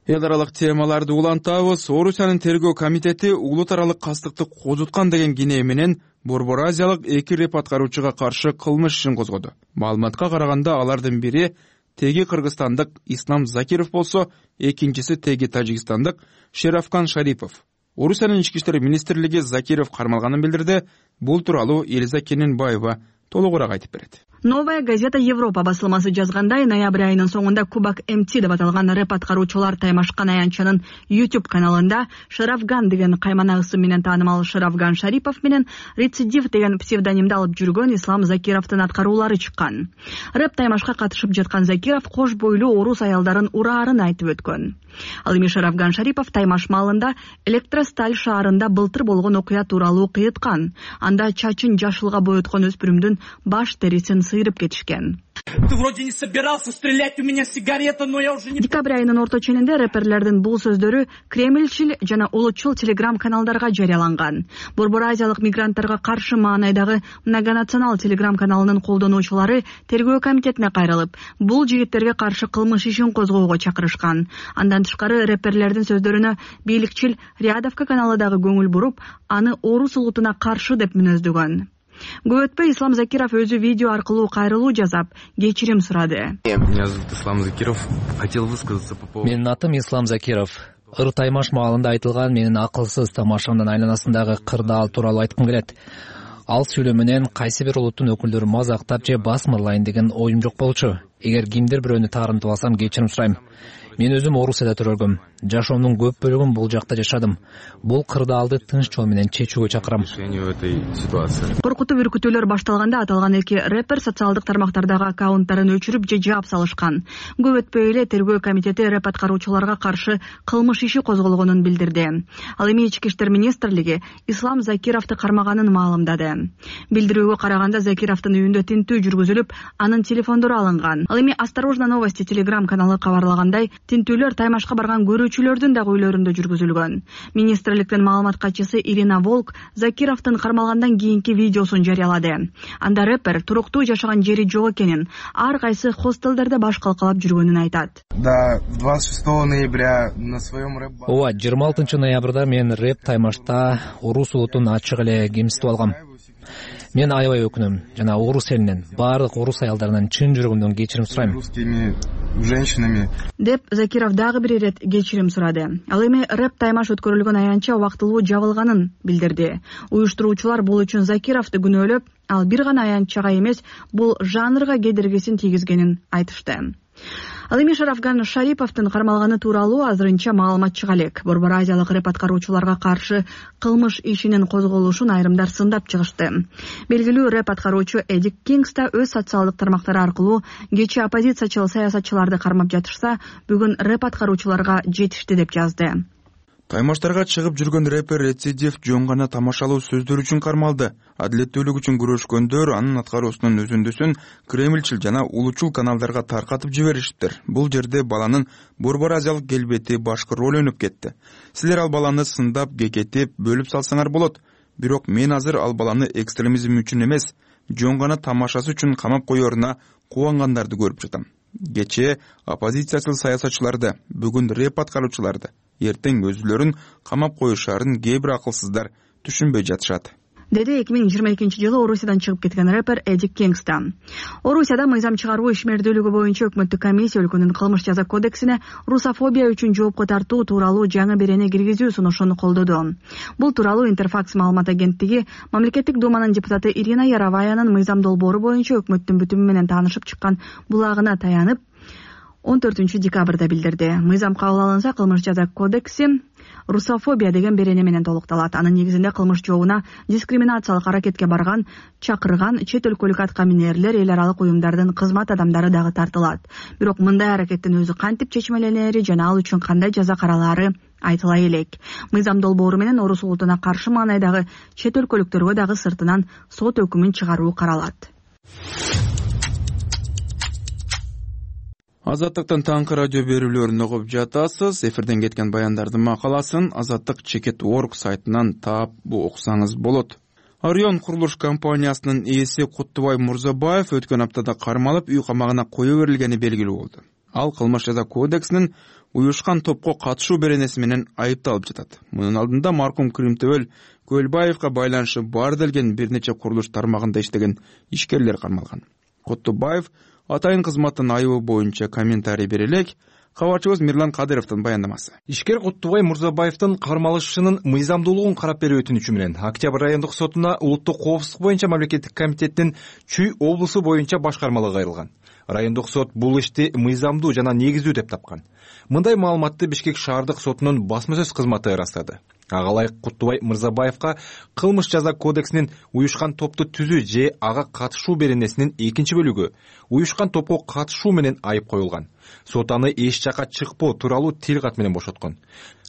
Эл аралык темаларды улантабыз. Орусиянын тергөө комитети улут аралык кастыкты козуткан деген кинее менен Борбор Азиялык эки рэп аткаруучуга каршы кылмыш ишин козгоду. Маалыматка караганда алардын бири теги кыргызстандык Ислам Закиров болсо, экинчиси теги тажикстандык Шерафкан Шарипов. Орусиянын ички иштер министрлиги Закиров кармалганын билдирди. Бул тууралуу Элиза Кененбаева толугураак айтып берет. Новая газета Европа басылмасы жазгандай, ноябрь айынын соңунда Кубак эм ти деп аталган рэп аткаруучулар таймашкан аянтчанын YouTube каналында Шарафган деген каймана ысым менен таанымал Шарафган Шарипов менен Рецидив деген псевдонимди алып жүргөн Ислам Закировдун аткаруулары чыккан. Рэп таймашка катышып жаткан Закиров кош бойлуу орус аялдарын ураарын айтып өткөн. Ал эми Шарафган Шарипов таймаш маалында Электросталь шаарында былтыр болгон окуя тууралуу кыйыткан. Анда чачын жашылга боёткон өспүрүмдүн баш терисин сыйрып кетишкен. Декабрь айынын орто ченинде рэперлердин бул сөздөрү кремльчил жана улутчул телеграм каналдарга жарыяланган. Борбор Азиялык мигранттарга каршы маанайдагы многонационал телеграм каналынын колдонуучулары тергөө комитетине кайрылып, бул жигиттерге каршы кылмыш ишин козгоого чакырышкан. Андан тышкары рэперлердин сөздөрүнө бийликчил Рядовка каналы дагы көңүл буруп, аны орус улутуна каршы деп мүнөздөгөн. Көп өтпөй Ислам Закиров өзү видео аркылуу кайрылуу жасап, кечирим сурады. Менин атым Ислам Закиров. ыр таймаш маалында айтылган менин акылсыз тамашамдын айланасындагы кырдаал тууралуу айткым келет. Ал сүйлөө менен кайсы бир улуттун өкүлдөрү мазактап же басмырлайын деген оюм жок болчу. Эгер кимдир бирөөнү таарынтып алсам кечирим сурайм. Мен өзүм Орусияда төрөлгөм. Жашоомдун көп бөлүгүн бул жакта жашадым. Бул кырдаалды тынч жол менен чечүүгө чакырам. Коркутуп үркүтүүлөр башталганда аталган эки рэпер социалдык тармактардагы аккаунттарын өчүрүп же жаап салышкан. Көп өтпөй эле тергөө комитети рэп аткаруучуларга каршы кылмыш иши козголгонун билдирди. Ал эми Ички иштер министрлиги Ислам Закировду кармаганын маалымдады. Билдирүүгө караганда Закировдун үйүндө тинтүү жүргүзүлүп, анын телефондору алынган. Ал эми Осторожно новости телеграм каналы кабарлагандай, тинтүүлөр Таймашка барган көрүүчүлөрдүн дагы үйлөрүндө жүргүзүлгөн. Министрликтин маалымат катчысы Ирина Волк Закировдун кармалгандан кийинки видеосун жарыялады. Анда рэпер туруктуу жашаган жери жок экенин, ар кайсы хостелдерде баш калкалап жүргөнүн айтат. Да, двадцать шестого ноября на своем рэп... Ооба, жыйырма алтынчы ноябрда мен рэп Таймашта орус улутун ачык эле кемситип алгам. Мен аябай өкүнөм жана орус элинен, баардык орус аялдарынан чын жүрөгүмдөн кечирим сурайм. Русскими женщинами. Деп Закиров дагы бир ирет кечирим сурады. Ал эми рэп Таймаш өткөрүлгөн аянтча убактылуу жабылганын билдирди. Уюштуруучулар бул үчүн Закировду күнөөлөп, ал бир гана аянтчага эмес, бул жанрга кедергисин тийгизгенин айтышты. Ал эми Шарафган Шариповдун кармалганы тууралуу азырынча маалымат чыга элек. Борбор Азиялык рэп аткаруучуларга каршы кылмыш ишинин козголушун айрымдар сындап чыгышты. Белгилүү рэп аткаруучу Эдик Кингс да өз социалдык тармактары аркылуу кечээ оппозициячыл саясатчыларды кармап жатышса, бүгүн рэп аткаруучуларга жетишти деп жазды. Таймаштарга чыгып жүргөн рэпер рецидив жөн гана тамашалуу сөздөр үчүн кармалды. Адилеттүүлүк үчүн күрөшкөндөр анын аткаруусунун өзүндүсүн кремльчил жана улучул каналдарга таркатып жибериштир. Бул жерде баланын Борбор Азиялык келбети башкы роль өнүп кетти. Силер ал баланы сындап, кекетип, бөлүп салсаңар болот. Бирок мен азыр ал баланы экстремизм үчүн эмес, жөн гана тамашасы үчүн камап коеруна кубангандарды көрүп жатам. Кечээ оппозициячыл саясатчыларды, бүгүн рэп аткаруучуларды, эртең өзүлөрүн камап коюшарын кээ бир акылсыздар түшүнбөй жатышат. Деди эки миң жыйырма экинчи жылы Орусиядан чыгып кеткен рэпер Эдик Кингс. Орусияда мыйзам чыгаруу ишмердүүлүгү боюнча өкмөттүк комиссия өлкөнүн кылмыш жаза кодексине русофобия үчүн жоопко тартуу тууралуу жаңы берени киргизүү сунушун колдоду. Бул тууралуу Интерфакс маалымат агенттиги мамлекеттик думанын депутаты Ирина Яроваянын мыйзам долбоору боюнча өкмөттүн бүтүмү менен таанышып чыккан булагына таянып он төртүнчү декабрда билдирди. Мыйзам кабыл алынса, кылмыш жаза кодекси русофобия деген берени менен толукталат. Анын негизинде кылмыш жообуна дискриминациялык аракетке барган, чакырган чет өлкөлүк атка минерлер, эл аралык уюмдардын кызмат адамдары дагы тартылат. Бирок мындай аракеттин өзү кантип чечмеленери жана ал үчүн кандай жаза каралаары айтыла элек. Мыйзам долбоору менен орус улутуна каршы маанайдагы чет өлкөлүктөргө дагы сыртынан сот өкүмүн чыгаруу каралат. Азаттыктын таңкы радио берүүлөрүн угуп жатасыз. Эфирден кеткен баяндардын макаласын Азаттык чекит точка орг сайтынан таап окусаңыз болот. Орион курулуш компаниясынын ээси Куттубай Мурзабаев өткөн аптада кармалып үй камагына кое берилгени белгилүү болду. Ал кылмыш жаза кодексинин уюшкан топко катышуу беренеси менен айыпталып жатат. Мунун алдында маркум Кримтөбөл Көлбаевка байланышы бар делген бир нече курулуш тармагында иштеген ишкерлер кармалган. Куттубаев атайын кызматтын айыбы боюнча комментарий бере элек. Кабарчыбыз Мирлан Кадыровдун баяндамасы. Ишкер Куттубай Мурзабаевдин кармалышынын мыйзамдуулугун карап берүү өтүнүчү менен Октябрь райондук сотуна улуттук коопсуздук боюнча мамлекеттик комитеттин Чүй облусу боюнча башкармалыгы кайрылган. Райондук сот бул ишти мыйзамдуу жана негиздүү деп тапкан. Мындай маалыматты Бишкек шаардык сотунун басма сөз кызматы ырастады. Ага ылайык Куттубай Мырзабаевка кылмыш жаза кодексинин уюшкан топту түзүү же ага катышуу беренесинин экинчи бөлүгү уюшкан топко катышуу менен айып коюлган. Сот аны эч жака чыкпоо тууралуу тил кат менен бошоткон.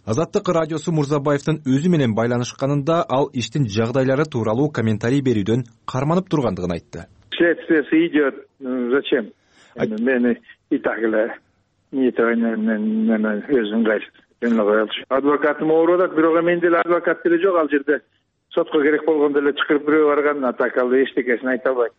Азаттык радиосу Мурзабаевдин өзү менен байланышканында ал иштин жагдайлары тууралуу комментарий берүүдөн карманып тургандыгын айтты. Следствие идет. Зачем? Мени и так эле өзүм кайсы адвокатым ооруп атат, бирок мен деле адвокат деле жок ал жерде. Сотко керек болгондо эле чакырып бирөө барган, а так ал эчтекесин айта албайт.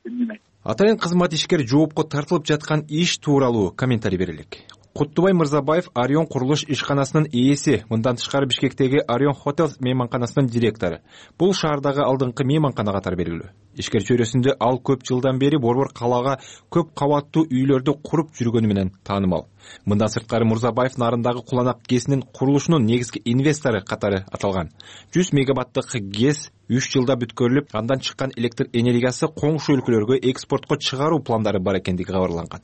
Атайын кызмат ишкер жоопко тартылып жаткан иш тууралуу комментарий берелик. Куттубай Мырзабаев Орион курулуш ишканасынын ээси, мындан тышкары Бишкектеги Орион Хотел мейманканасынын директору. Бул шаардагы алдыңкы мейманкана катары белгилүү. Ишкер чөйрөсүндө ал көп жылдан бери Борбор калаага көп кабаттуу үйлөрдү куруп жүргөнү менен таанымал. Мындан сырткары Мурзабаев нарындагы Куланак ГЭСинин курулушунун негизги инвестору катары аталган. жүз мегаваттык ГЭС үч жылда бүткөрүлүп, андан чыккан электр энергиясы коңшу өлкөлөргө экспортко чыгаруу пландары бар экендиги кабарланган.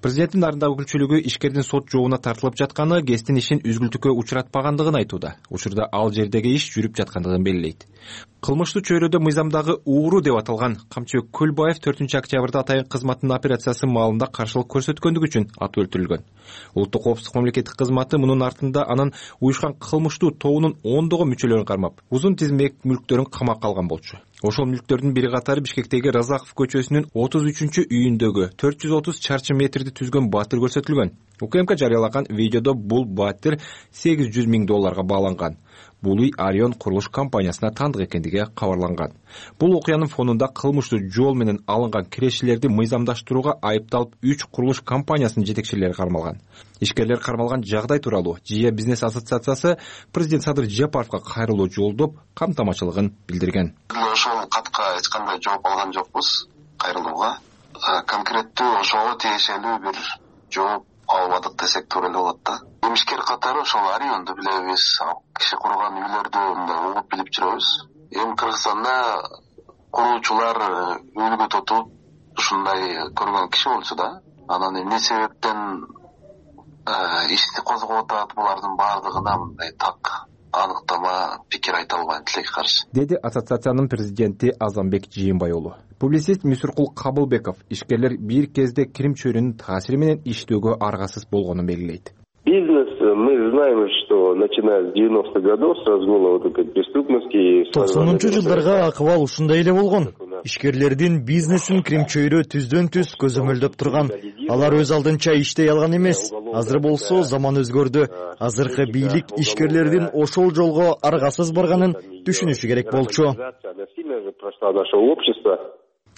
Президенттин нарындагы өкүлчүлүгү ишкердин сот жообуна тартылып жатканы ГЭСтин ишин үзгүлтүккө учуратпагандыгын айтууда. Учурда ал жердеги иш жүрүп жаткандыгын белгилейт. Кылмыштуу чөйрөдө мыйзамдагы ууру деп аталган Камчыбек Көлбаев төртүнчү октябрда атайын кызматтын операциясы маалында каршылык көрсөткөндүгү үчүн атып өлтүрүлгөн. Улуттук коопсуздук мамлекеттик кызматы мунун артында анын уюшкан кылмыштуу тобунун ондогон мүчөлөрүн кармап, узун тизмек мүлктөрүн камакка алган болчу. Ошол мүлктөрдүн бири катары Бишкектеги Разаков көчөсүнүн отуз үчүнчү үйүндөгү төрт жүз отуз чарчы метрди түзгөн батир көрсөтүлгөн. УКМК жарыялаган видеодо бул батир сегиз жүз миң долларга бааланган. Бул үй Орион курулуш компаниясына таандык экендиги кабарланган. Бул окуянын фонунда кылмыштуу жол менен алынган кирешелерди мыйзамдаштырууга айыпталып үч курулуш компаниясынын жетекчилери кармалган. Ишкерлер кармалган жагдай тууралуу Жия бизнес ассоциациясы президент Садыр Жапаровго кайрылуу жолдоп камтамачылыгын билдирген. Ошол катка эч кандай жооп алган жокпуз кайрылууга. Конкреттүү ошого тиешелүү бир жооп албадык десек туура эле болот да. Эмишкер катары ошол Орионду билебиз, киши курган үйлөрдү мындай угуп билип жүрөбүз. Эми Кыргызстанда куруучулар үлгү тотуп ушундай көргөн киши болчу да. Анан эмне себептен ишти козгоп атат, булардын баардыгына мындай так аныктама пикир айта албайм тилекке каршы, деди ассоциациянын президенти Азамбек Жыйынбай уулу. Публицист Мүсүркул Кабылбеков ишкерлер бир кезде кирим чөйрөнүн таасири менен иштөөгө аргасыз болгонун белгилейт. Бизнес, мы знаем, что начиная с девяностых годов с разгула вот этой преступности... токсонунчу жылдарга акыбал ушундай эле болгон. Ишкерлердин бизнесин кирим чөйрө түздөн түз көзөмөлдөп турган. Алар өз алдынча иштей алган эмес. Азыр болсо заман өзгөрдү. Азыркы бийлик ишкерлердин ошол жолго аргасыз барганын түшүнүшү керек болчу.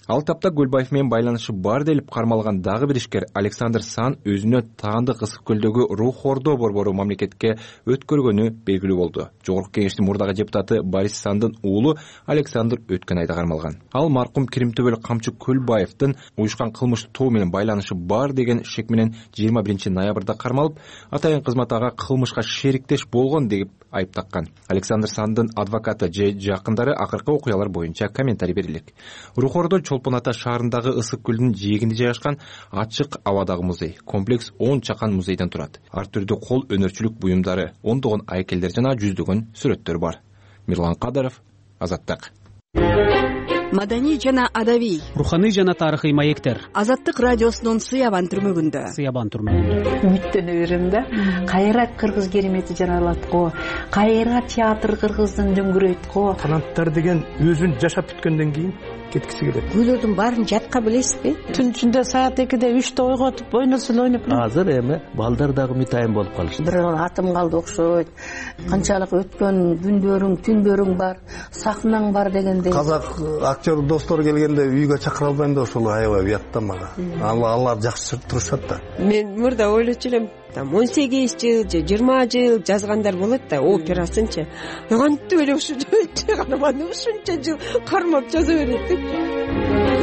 Ал тапта Көлбаев менен байланышы бар делип кармалган дагы бир ишкер Александр Сан өзүнө таандык Ысык көлдөгү Рух Ордо борбору мамлекетке өткөргөнү белгилүү болду. Жогорку кеңештин мурдагы депутаты Борис Сандын уулу Александр өткөн айда кармалган. Ал маркум Киримтөбөл Камчы Көлбаевдин уюшкан кылмыштуу тобу менен байланышы бар деген шек менен жыйырма биринчи ноябрда кармалып, атайын кызмат ага кылмышка шериктеш болгон деп айып таккан. Александр Сандын адвокаты же жакындары акыркы окуялар боюнча комментарий берилек. Рух Ордо Чолпон Ата шаарындагы Ысык көлдүнүн жээгинде жайгашкан ачык абадагы музей. Комплекс он чакан музейден турат. Ар түрдүү кол өнөрчүлүк буюмдары, ондогон айкелдер жана жүздөгөн сүрөттөр бар. Мирлан Кадаров, Азаттык. Маданий жана адабий, руханий жана тарыхый маектер. Азаттык радиосунун Сыябан түрмөгүндө. Сыябан түрмөгүндө. Үмүттөнө берем да. Кайра кыргыз керемети жаралат го. Кайра театр кыргыздын дөңгүрөйт го. Канаттар деген өзүн жашап бүткөндөн кийин кеткиси келет. Гүлөрдүн баарын жатка билесизби? Түн ичинде саат экиде үчтө ойготуп ойносул ойноп. Азыр эми балдар дагы мытайын болуп калышты. Бир атым калды окшойт. Канчалык өткөн күндөрүң, түндөрүң бар, сахнаң бар дегендей. Казак актер достор келгенде үйгө чакыра албайм да ошол аябай уят да мага. Алар жакшы турушат да. Мен мурда ойлочу элем, там он сегиз жыл же жыйырма жыл жазгандар болот да, операсынчы. Кантип эле ушу карманы ушунча жыл кармап жаза берет деп.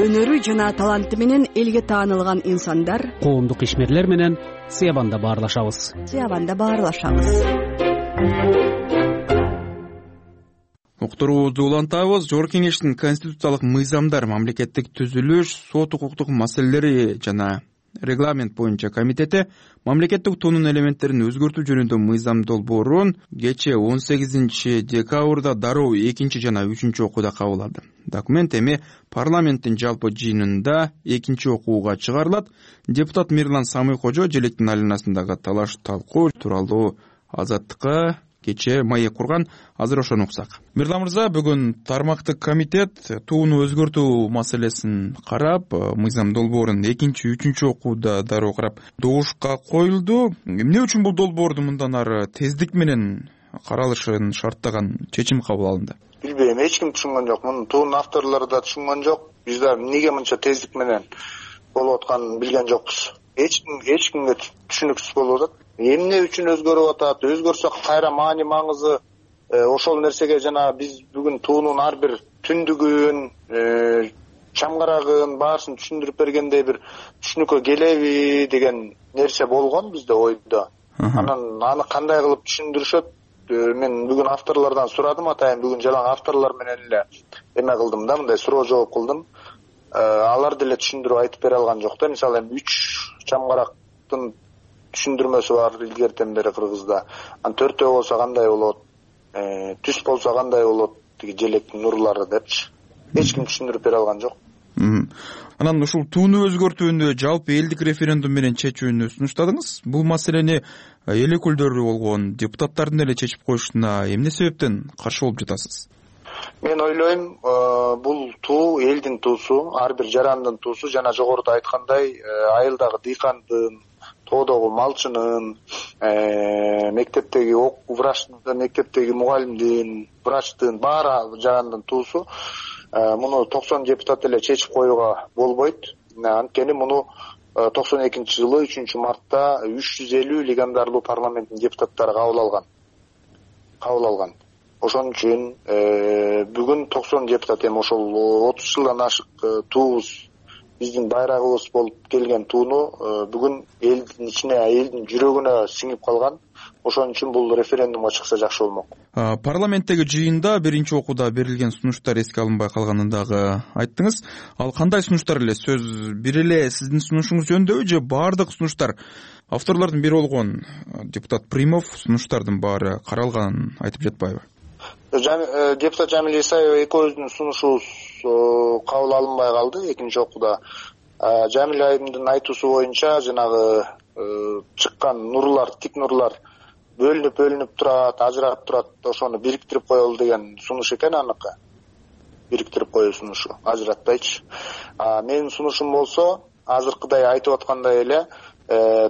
Өнөрү жана таланты менен элге таанылган инсандар, коомдук ишмерлер менен Сыябанда баарлашабыз. Сыябанда баарлашабыз. Уктуруубузду улантабыз. Жогорку кеңештин конституциялык мыйзамдар, мамлекеттик түзүлүш, сот укуктук маселелери жана регламент боюнча комитети мамлекеттик туунун элементтерин өзгөртүү жөнүндө мыйзам долбоорун кечээ он сегизинчи декабрда дароо экинчи жана үчүнчү окууда кабыл алды. Документ эми парламенттин жалпы жыйынында экинчи окууга чыгарылат. Депутат Мирлан Самый-Кожо желектин айланасындагы талаш талкуу тууралуу Азаттыкка кечээ маек курган. Азыр ошону уксак. Мирлан мырза, бүгүн тармактык комитет тууну өзгөртүү маселесин карап, мыйзам долбоорун экинчи, үчүнчү окууда дароо карап добушка коюлду. Эмне үчүн бул долбоорду мындан ары тездик менен каралышын шарттаган чечим кабыл алынды? Билбейм, эч ким түшүнгөн жок. Муну туунун авторлору да түшүнгөн жок. Биз да эмнеге мынча тездик менен болуп атканын билген жокпуз. Эч ким эч кимге түшүнүксүз болуп атат. Эмне үчүн өзгөрүп атат? Өзгөрсө кайра маани маңызы ошол нерсеге жана биз бүгүн туунун ар бир түндүгүн, чамгарагын баарысын түшүндүрүп бергендей бир түшүнүккө келеби деген нерсе болгон бизде ойдо. Анан аны кандай кылып түшүндүрүшөт? Мен бүгүн авторлордон сурадым, атайын бүгүн жалаң авторлор менен эле эме кылдым да, мындай суроо жооп кылдым. Алар деле түшүндүрүп айтып бере алган жок да. Мисалы эми үч чамгарактын түшүндүрмөсү бар илгертен бери Кыргызда. Анан төртөө болсо кандай болот? Түз болсо кандай болот? Тиги желектин нурлары депчи. Эч ким түшүндүрүп бере алган жок. Анан ушул тууну өзгөртүүнү жалпы элдик референдум менен чечүүнү сунуштадыңыз. Бул маселени эл өкүлдөрү болгон депутаттардын эле чечип коюшуна эмне себептен каршы болуп жатасыз? Мен ойлойм, бул туу элдин туусу, ар бир жарандын туусу. Жана жогоруда айткандай, айылдагы дыйкандын, тоодогу малчынын, мектептеги врачтын, мектептеги мугалимдин, врачтын, баары жарандын туусу. Муну токсон депутат эле чечип коюуга болбойт. Анткени муну токсон экинчи жылы үчүнчү мартта үч жүз элүү легендарлуу парламенттин депутаттары кабыл алган. Кабыл алган. Ошон үчүн бүгүн токсон депутат, эми ошол отуз жылдан ашык туубуз, биздин байрагыбыз болуп келген тууну бүгүн элдин ичине, элдин жүрөгүнө сиңип калган. Ошон үчүн бул референдумга чыкса жакшы болмок. Парламенттеги жыйында биринчи окууда берилген сунуштар эске алынбай калганын дагы айттыңыз. Ал кандай сунуштар эле? Сөз бир эле сиздин сунушуңуз жөнүндөбү же баардык сунуштар? Авторлордун бири болгон депутат Примов сунуштардын баары каралганын айтып жатпайбы? Депутат Жамил Исаева экөөбүздүн сунушубуз кабыл алынбай калды экинчи окууда. Жамил айымдын айтуусу боюнча жанагы чыккан нурлар, тик нурлар бөлүнүп бөлүнүп турат, ажырап турат, ошону бириктирип коелу деген сунуш экен аныкы. Бириктирип коюу сунушу, ажыратпайчы. Менин сунушум болсо, азыркыдай айтып аткандай эле,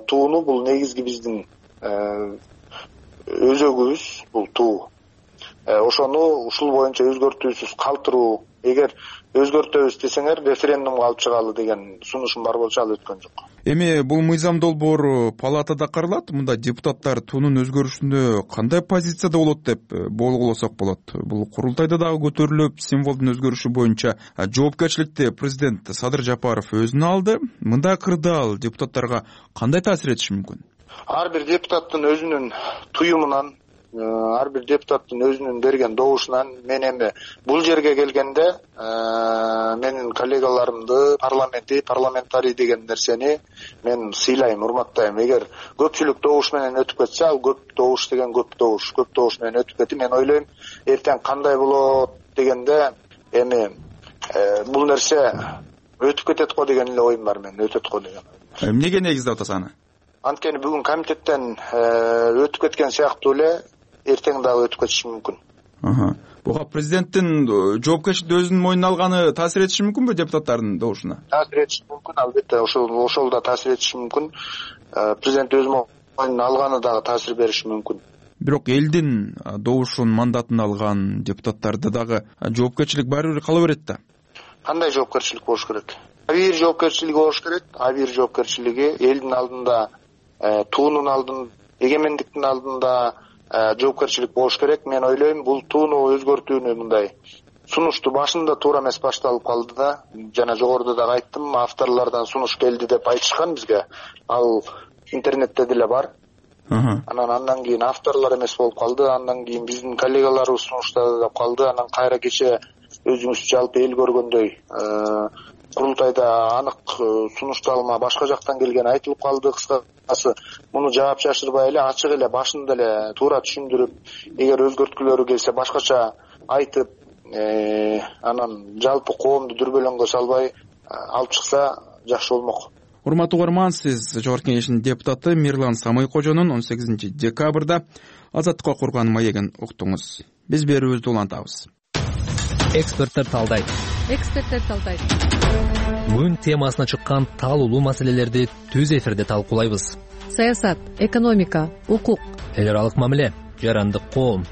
тууну бул негизги биздин өзөгүбүз, бул туу. Ошону ушул боюнча өзгөртүүсүз калтыруу, эгер өзгөртөбүз десеңер референдумга алып чыгалы деген сунушум бар болчу, ал өткөн жок. Эми бул мыйзам долбоору палатада каралат. Мында депутаттар туунун өзгөрүшүндө кандай позицияда болот деп болгулосок болот. Бул курултайда дагы көтөрүлүп, символдун өзгөрүшү боюнча жоопкерчиликти президент Садыр Жапаров өзүнө алды. Мындай кырдаал депутаттарга кандай таасир этиши мүмкүн? Ар бир депутаттын өзүнүн туюмунан, ар бир депутаттын өзүнүн берген добушунан мен эми бул жерге келгенде менин коллегаларымды, парламенти, парламентарий деген нерсени мен сыйлайм, урматтайм. Эгер көпчүлүк добуш менен өтүп кетсе, ал көп добуш деген көп добуш, көп добуш менен өтүп кетти. Мен ойлойм, эртең кандай болот дегенде эми бул нерсе өтүп кетет го деген эле оюм бар менин, өтөт го деген. Эмнеге негиздеп атасыз аны? Анткени бүгүн комитеттен өтүп кеткен сыяктуу эле эртең дагы өтүп кетиши мүмкүн. Буга президенттин жоопкерчиликти өзүнүн мойнуна алганы таасир этиши мүмкүнбү депутаттардын добушуна? Таасир этиши мүмкүн, албетте, ошол ошол да таасир этиши мүмкүн. Президент өз мойнуна алганы дагы таасир бериши мүмкүн. Бирок элдин добушун, мандатын алган депутаттарды дагы жоопкерчилик баары бир кала берет да. Кандай жоопкерчилик болуш керек? Абийир жоопкерчилиги болуш керек. Абийир жоопкерчилиги элдин алдында, туунун алдында, эгемендиктин алдында жоопкерчилик болуш керек. Мен ойлойм, бул тууну өзгөртүүнү мындай сунушту башында туура эмес башталып калды да. Жана жогоруда дагы айттым, авторлордон сунуш келди деп айтышкан бизге. Ал интернетте деле бар. Анан андан кийин авторлор эмес болуп калды, андан кийин биздин коллегаларыбыз сунуштады деп калды. Анан кайра кече өзүңүз жалпы эл көргөндөй курултайда анык сунушталма башка жактан келгени айтылып калды. Кыскасы, муну жаап жашырбай эле, ачык эле, башында эле туура түшүндүрүп, эгер өзгөрткүлөрү келсе башкача айтып, анан жалпы коомду дүрбөлөңгө салбай алып чыкса жакшы болмок. Урматтуу угарман, сиз Жогорку Кеңештин депутаты Мирлан Самый-Кожонун он сегизинчи декабрда Азаттыкка курган маегин уктуңуз. Биз берүүбүздү улантабыз. Эксперттер талдайт. Эксперттер талдайт. Күн темасына чыккан талуулуу маселелерди түз эфирде талкуулайбыз. Саясат, экономика, укук, эл аралык мамиле, жарандык коом,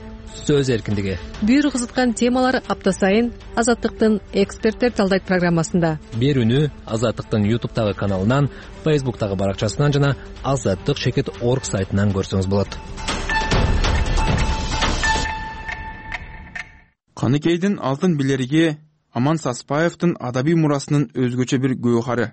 сөз эркиндиги. Бир кызыткан темалар апта сайын Азаттыктын Эксперттер талдайт программасында. Берүүнү Азаттыктын ютубтагы каналынан, фейсбуктагы баракчасынан жана азаттык чекит орг сайтынан көрсөңүз болот. Каныкейдин алтын билериги Аман Саспаевдин адабий мурасынын өзгөчө бир гөөхары.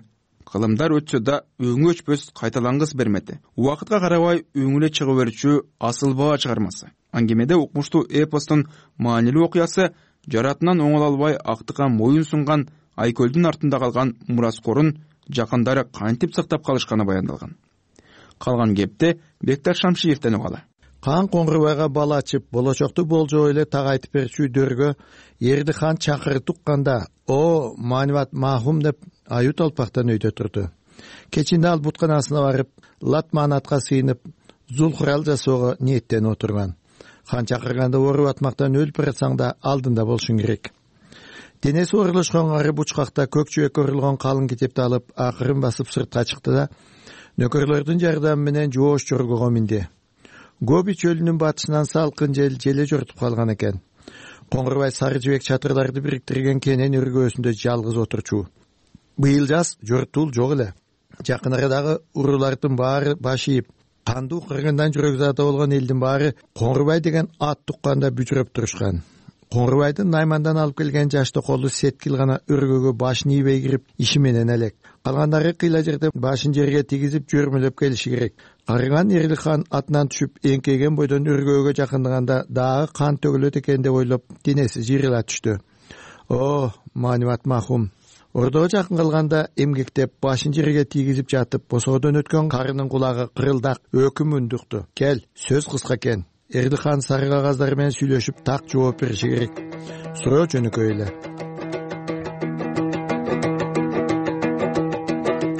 Кылымдар өтсө да өңү өчпөс кайталангыс бермети. Убакытка карабай өңүлө чыга берүүчү асыл баа чыгармасы. Аңгемеде укмуштуу эпостун маанилүү окуясы жаратынан оңоло албай актыкка моюн сунган Айкөлдүн артында калган мураскорун жакындары кантип сактап калышканы баяндалган. Калган кепти Бектар Шамшиевден угалы. Кан Коңгурбайга бала ачып, болочокту болжоо эле так айтып берчү дөргө Эрдихан чакырып тукканда, "О, Маниват махум" деп аю толпактан өйдө турду. Кечинде ал бутканасына барып, латманатка сыйынып, зулхурал жасоого ниеттенип отурган. Хан чакырганда оруп атмактан өлүп барсаң да алдында болушуң керек. Денеси оорулушкан ары бучкакта көк чүбөккө урулган калың китепти алып, акырын басып сыртка чыкты да нөкөрлөрдүн жардамы менен жоош жоргого минди. Гоби чөлүнүн батышынан салкын жел желе жортуп калган экен. Коңгурбай сары жибек чатырларды бириктирген кенен өргөөсүндө жалгыз отурчу. Быйыл жаз жортул жок эле. Жакын арадагы уруулардын баары баш ийип, кандуу кыргындан жүрөк-заты болгон элдин баары Коңгурбай деген ат тукканда бүжүрөп турушкан. Коңгурбайдын Наймандан алып келген жашты колу Сеткил гана өргөгө башын ийбей кирип, иши менен элек. Калгандары кыйла жерде башын жерге тийгизип жөрмөлөп келиши керек. Карыган Эрдихан атынан түшүп эңкейген бойдон өргөөгө жакындаганда дагы кан төгүлөт экен деп ойлоп, денеси жыйрыла түштү. О, Маниват махум. Ордого жакын калганда эмгектеп башын жерге тийгизип жатып, босоодон өткөн карынын кулагы кырылдак өкүм үндүктү. Кел, сөз кыска экен. Эрдихан сары кагаздар менен сүйлөшүп так жооп бериши керек. Суроо жөнөкөй эле.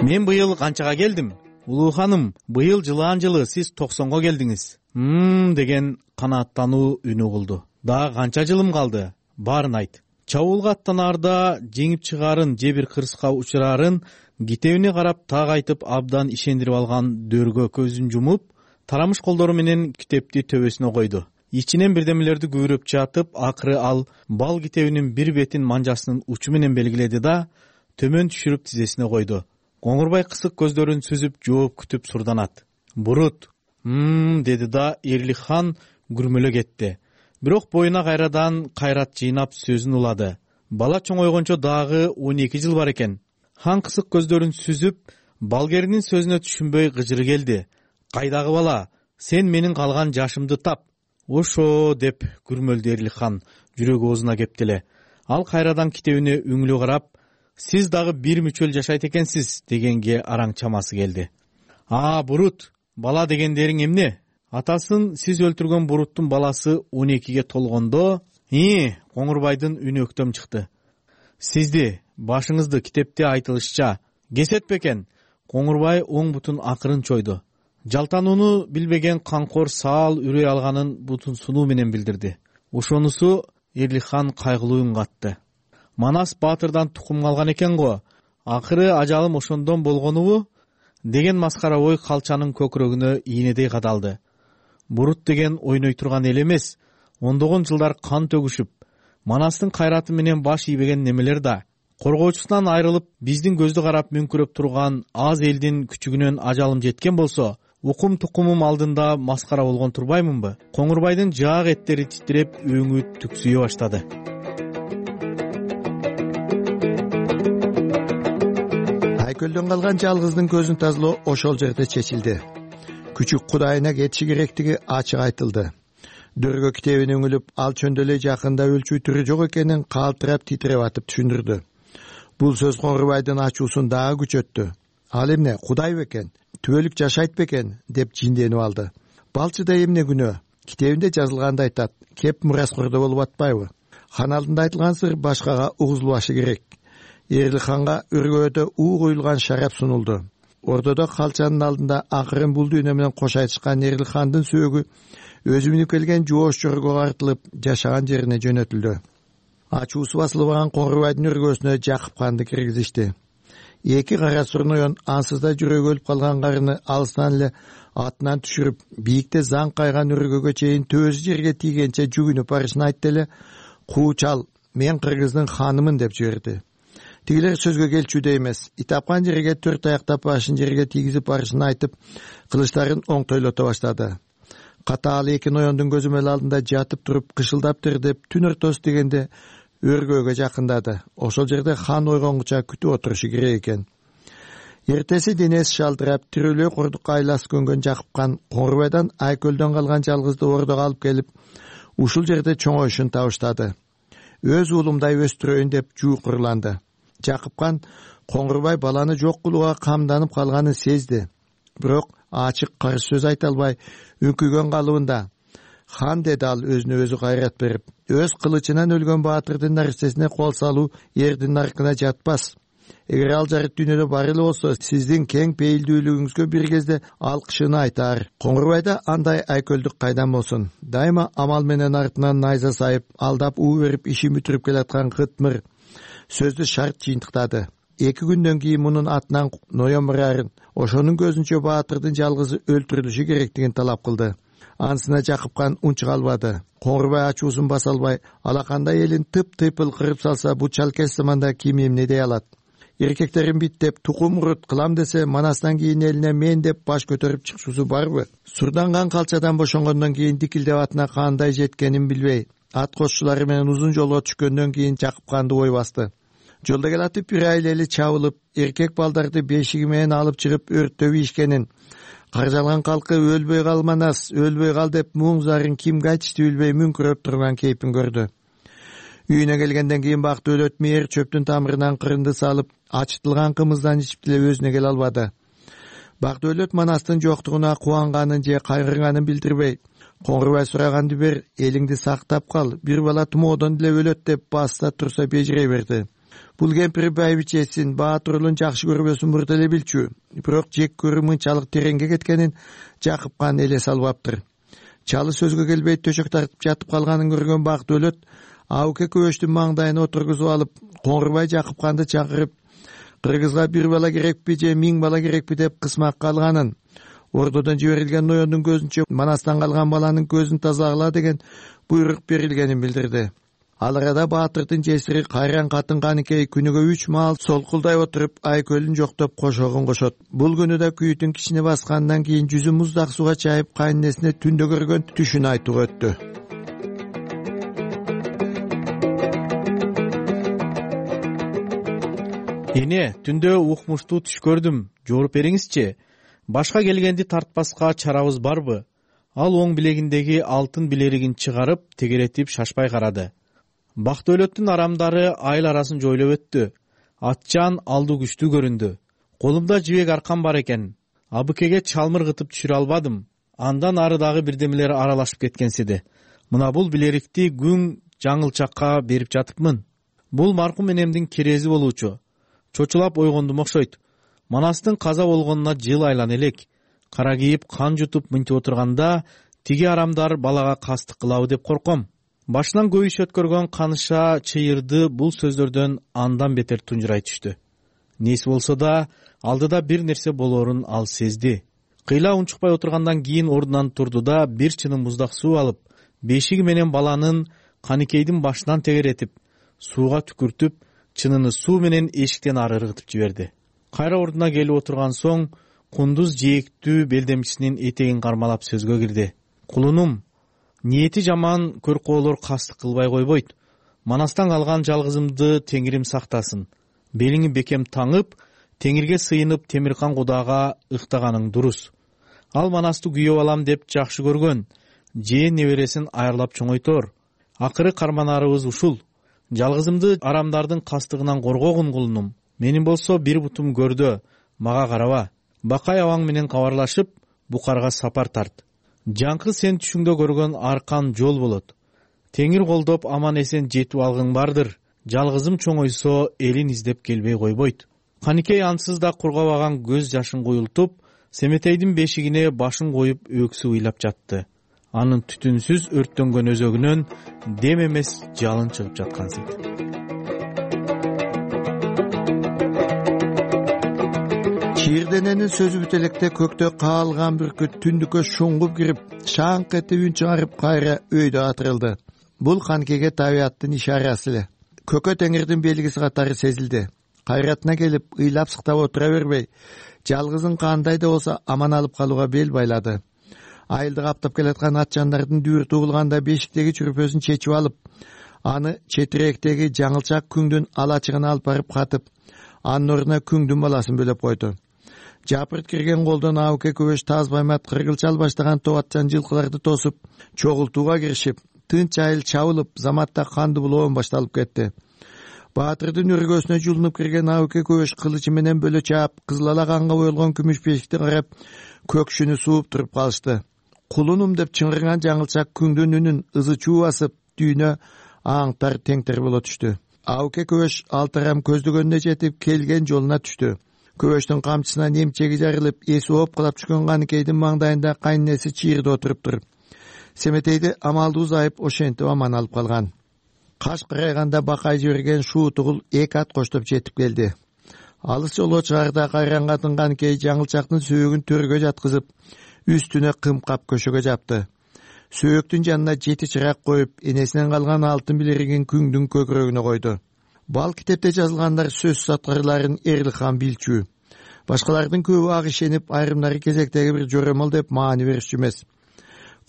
Мен быйыл канчага келдим? Улуу ханым, быйыл жылаан жылы сиз токсонго келдиңиз. Мм деген канааттануу үнү угулду. Дагы канча жылым калды? Баарын айт. Чабуулга аттанаарда жеңип чыгаарын же бир кырсыкка учураарын китебине карап так айтып абдан ишендирип алган дөргө көзүн жумуп, тарамыш колдору менен китепти төбөсүнө койду. Ичинен бирдемелерди күбүрөп жатып, акыры ал бал китебинин бир бетин манжасынын учу менен белгиледи да төмөн түшүрүп тизесине койду. Коңгурбай кысык көздөрүн сүзүп жооп күтүп сурданат. Бурут, «Мм» деди да Эрлихан күрмөлө кетти. Бирок боюна кайрадан кайрат жыйнап сөзүн улады. Бала чоңойгончо дагы он эки жыл бар экен. Хан кысык көздөрүн сүзүп, балгеринин сөзүнө түшүнбөй гыжыры келди. Кайдагы бала, сен менин калган жашымды тап. Ошо деп күрмөлдү Эрлихан жүрөгү оозуна кепти эле. Ал кайрадан китебине үңүлүп карап, сиз дагы бир мүчөл жашайт экенсиз дегенге араң чамасы келди. А, Бурут, бала дегендериң эмне? Атасын сиз өлтүргөн Буруттун баласы он экиге толгондо, и, Коңгурбайдын үнү өктөм чыкты. Сизди, башыңызды китепте айтылышча кесет бекен? Коңгурбай оң бутун акырын чойду. Жалтанууну билбеген канкор саал үрөй алганын бутун сунуу менен билдирди. Ошонусу Эрлихан кайгылуу үн катты. Манас Баатырдан тукум калган экен го. Акыры ажалым ошондон болгонубу? Деген маскара ой калчанын көкүрөгүнө ийнедей кадалды. Бурут деген ойной турган эл эмес. Ондогон жылдар кан төгүшүп, Манастын кайраты менен баш ийбеген немелер да. Коргоочусунан айрылып, биздин көздү карап мүңкүрөп турган аз элдин күчүгүнөн ажалым жеткен болсо, укум тукумум алдында маскара болгон турбаймынбы? Коңгурбайдын жаак эттери титиреп, өңү түксүйө баштады. Айкөлдөн калган жалгыздын көзүн тазалоо ошол жерде чечилди. Күчүк кудайына кетиши керектиги ачык айтылды. Дөргө китебин өңүлүп, ал чөндөлөй жакында өлчү түрү жок экенин калтырап титиреп атып түшүндүрдү. Бул сөз Коңгурбайдын ачуусун дагы күчөттү. Ал эмне, Кудай бекен, түбөлүк жашайт бекен деп жинденип алды. Балчыда эмне күнөө? Китебинде жазылгандай айтат, кеп мураскордо болуп атпайбы? Хан алдында айтылган сыр башкага угузулбашы керек. Эрлиханга өргөөдө уу куюлган шарап сунулду. Ордодо калчанын алдында акырын бул дүйнө менен кош айтышкан Эрлихандын сөөгү өзү минип келген жоош жоргого артылып, жашаган жерине жөнөтүлдү. Ачуусу басылбаган Коңгурбайдын өргөөсүнө Жакып канды киргизишти. Эки кара сурноен ансызда жүрөгү өлүп калган карыны алыстан эле атынан түшүрүп, бийикте заң кайган өргөгө чейин төөсү жерге тийгенче жүгүнүп барышын айтты эле, "Куучал, мен Кыргыздын ханымын" деп жиберди. Тигилер сөзгө келчүдө эмес, итапкан жерге төрт аяктап башын жерге тийгизип барышын айтып, кылычтарын оңтойлото баштады. Катаал эки ноёндун көзөмөл алдында жатып туруп, кышылдап тердеп, түн ортосу дегенде өргөөгө жакындады. Ошол жерде хан ойгонгуча күтүп отурушу керек экен. Эртеси денеси шалтырап, тирүүлөө курдукка айласы көнгөн Жакыпкан Коңурбайдан Айкөлдөн калган жалгызды ордого алып келип, ушул жерде чоңоюшун табыштады. Өз уулумдай өстүрөйүн деп жуукурланды. Жакыпкан Коңурбай баланы жок кылууга камданып калганын сезди. Бирок ачык каршы сөз айта албай, үңкүгөн калыбында. Хан, деди ал өзүнө өзү кайрат берип, өз кылычынан өлгөн баатырдын нарсесине кол салуу эрдин наркына жатпас. Эгер ал жарык дүйнөдө бар эле болсо, сиздин кең пейилдүүлүгүңүзгө бир кезде алкышын айтаар. Коңурбайда андай айкөлдүк кайдан болсун? Дайыма амал менен артынан найза сайып, алдап уу берип ишин бүтүрүп келаткан Кытмыр сөздү шарт жыйынтыктады. Эки күндөн кийин мунун атынан ноемрарын, ошонун көзүнчө баатырдын жалгызы өлтүрүлүшү керектигин талап кылды. Анысына Жакыпкан унчук албады. Коңурбай ачуусун баса албай, алакандай элин тып-тыйпыл кырып салса, бу чалкеш заманда ким эмне дей алат? Эркектерин бит деп тукум урут кылам десе, манастан кийин элине мен деп баш көтөрүп чыкчусу барбы? Сурданган калчадан бошонгондон кийин дикилдеп атына кандай жеткенин билбей, ат кошчулары менен узун жолго түшкөндөн кийин Жакыпканды ой басты. Жолдо келатып бир айлели чабылып, эркек балдарды бешиги менен алып чыгып өрттөп ийишкенин, каржалган калкы өлбөй калманас, өлбөй кал деп муң зарын кимге айтышты билбей мүңкүрөп турган кейпин көрдү. Үйүнө келгенден кийин бакты өлөт мээр чөптүн тамырынан кырынды салып, ачытылган кымыздан ичип деле өзүнө келе албады. Бакты өлөт манастын жоктугуна кубанганын же кайгырганын билдирбей, Коңурбай сураганды бер, элиңди сактап кал, бир бала тумоодон деле өлөт деп баста турса бежирей берди. Бул кемпир байбичесин, баатырулун жакшы көрбөсүн мурда эле билчү. Бирок жек көрүү мынчалык тереңге кеткенин Жакыпкан элес албаптыр. Чалы сөзгө келбей төшөк тартып жатып калганын көргөн бакты өлөт Ауке көбөштүн маңдайына отургузуп алып, Коңурбай Жакыпканды чакырып, кыргызга бир бала керекпи же миң бала керекпи деп кысмак калганын, ордодон жиберилген ноёндун көзүнчө манастан калган баланын көзүн тазалагыла деген буйрук берилгенин билдирди. Ал арада баатырдын жесири кайран катын Каникей күнүгө үч маал солкулдай отуруп Айкөлүн жоктоп кошогун кошот. Бул күнү да күйүтүн кичине баскандан кийин жүзү муздак суга чайып кайненесине түндө көргөн түшүн айтууга өттү. Эне, түндө укмуштуу түш көрдүм, жооруп бериңизчи. Башка келгенди тартпаска чарабыз барбы? Ал оң билегиндеги алтын билеригин чыгарып, тегеретип шашпай карады. Бакты өлөттүн арамдары айыл арасын жойлоп өттү. Атчан алду күчтүү көрүндү. Колумда жибек аркан бар экен. Абыкеге чалмыр кытып түшүрө албадым. Андан ары дагы бирдемелер аралашып кеткенсиди. Мына бул билерикти күн жаңылчакка берип жатыпмын. Бул маркум энемдин керези болуучу. Чочулап ойгондум окшойт. Манастын каза болгонуна жыл айлана элек. Кара кийип кан жутуп мынтип отурганда тиги арамдар балага кастык кылабы деп корком. Башынан көп иш өткөргөн Каныша чыйырды бул сөздөрдөн андан бетер тунжурай түштү. Неси болсо да алдыда бир нерсе болоорун ал сезди. Кыйла унчукпай отургандан кийин ордунан турду да бир чыным муздак суу алып, бешиги менен баланын Каникейдин башынан тегеретип, сууга түкүртүп, чыныны суу менен эшиктен ары ыргытып жиберди. Кайра ордуна келип отурган соң кундуз жээктүү белдемчисинин этегин кармалап сөзгө кирди. Кулунум, ниети жаман көркөөлөр кастык кылбай койбойт. Манастан калган жалгызымды Теңирим сактасын. Белиңи бекем таңып, Теңирге сыйынып Темиркан Кудага ыктаганың дурус. Ал манасты күйөп алам деп жакшы көргөн. Жээн небересин айырлап чоңойтор. Акыры карманарыбыз ушул. Жалгызымды арамдардын кастыгынан коргогун кулунум. Менин болсо бир бутум көрдө, мага караба. Бакай абаң менен кабарлашып, Букарга сапар тарт. Жаңкы сен түшүңдө көргөн аркан жол болот. Теңир колдоп аман эсен жетип алгың бардыр. Жалгызым чоңойсо элин издеп келбей койбойт. Каникей ансыз да кургабаган көз жашын куюлтуп, Семетейдин бешигине башын коюп өксү ыйлап жатты. Анын түтүнсүз өрттөнгөн өзөгүнөн дем эмес жалын чыгып жаткан сыйт. Чийирдененин сөзү бүт электе көктө каалган бүркүт түндүккө шуңгуп кирип, шаңк этип үн чыгарып кайра өйдө атырылды. Бул Каникейге табияттын ишарасы эле. Көкө Теңирдин белгиси катары сезилди. Кайратына келип, ыйлап сыктап отура бербей, жалгызын кандай да болсо аман алып калууга бел байлады. Айылды каптап келаткан атчандардын дүүртү угулганда бешиктеги чүрпөсүн чечип алып, аны четирээктеги жаңылчак күңдүн алачыгына алып барып катып, анын ордуна күңдүн баласын бөлөп койду. Жапырт кирген колдон Абыке көбөш таз баймат кыргылчал баштаган товатчан жылкыларды тосуп, чогултууга киришип, тынч айыл чабылып, заматта канды булоон башталып кетти. Баатырдын өргөсүнө жулунуп кирген Абыке көбөш кылычы менен бөлө чаап, кызыл ала канга боелгон күмүш бешикти карап, көкшүнү сууп туруп калышты. Кулунум деп чыңгырган жаңылчак күңдүн үнүн ызы чуу басып, дүйнө аңтар теңтер боло түштү. Абыке көбөш алтарам көздөгөнүнө жетип, келген жолуна түштү. Көбөштүн камчысынан эмчеги жарылып, эси опкулап түшкөн Каныкейдин маңдайында кайненеси чыйырда отуруптур. Семетейди амалдуу зайып ошентип аман алып калган. Каш карайганда бакай жиберген шуу тугул эки ат коштоп жетип келди. Алыс жолго чыгарда кайранга тынган Кей жаңылчактын сөөөгүн төргө жаткызып, үстүнө кымкап көшөгө жапты. Сөөктүн жанына жети чырак коюп, энесинен калган алтын билеригин күңдүн көкүрөгүнө койду. Бал китепте жазылгандар сөзсүз аткарыларын Эрликхан билчү. Башкалардын көбү ак ишенип, айрымдары кезектеги бир жоромол деп маани беришчү эмес.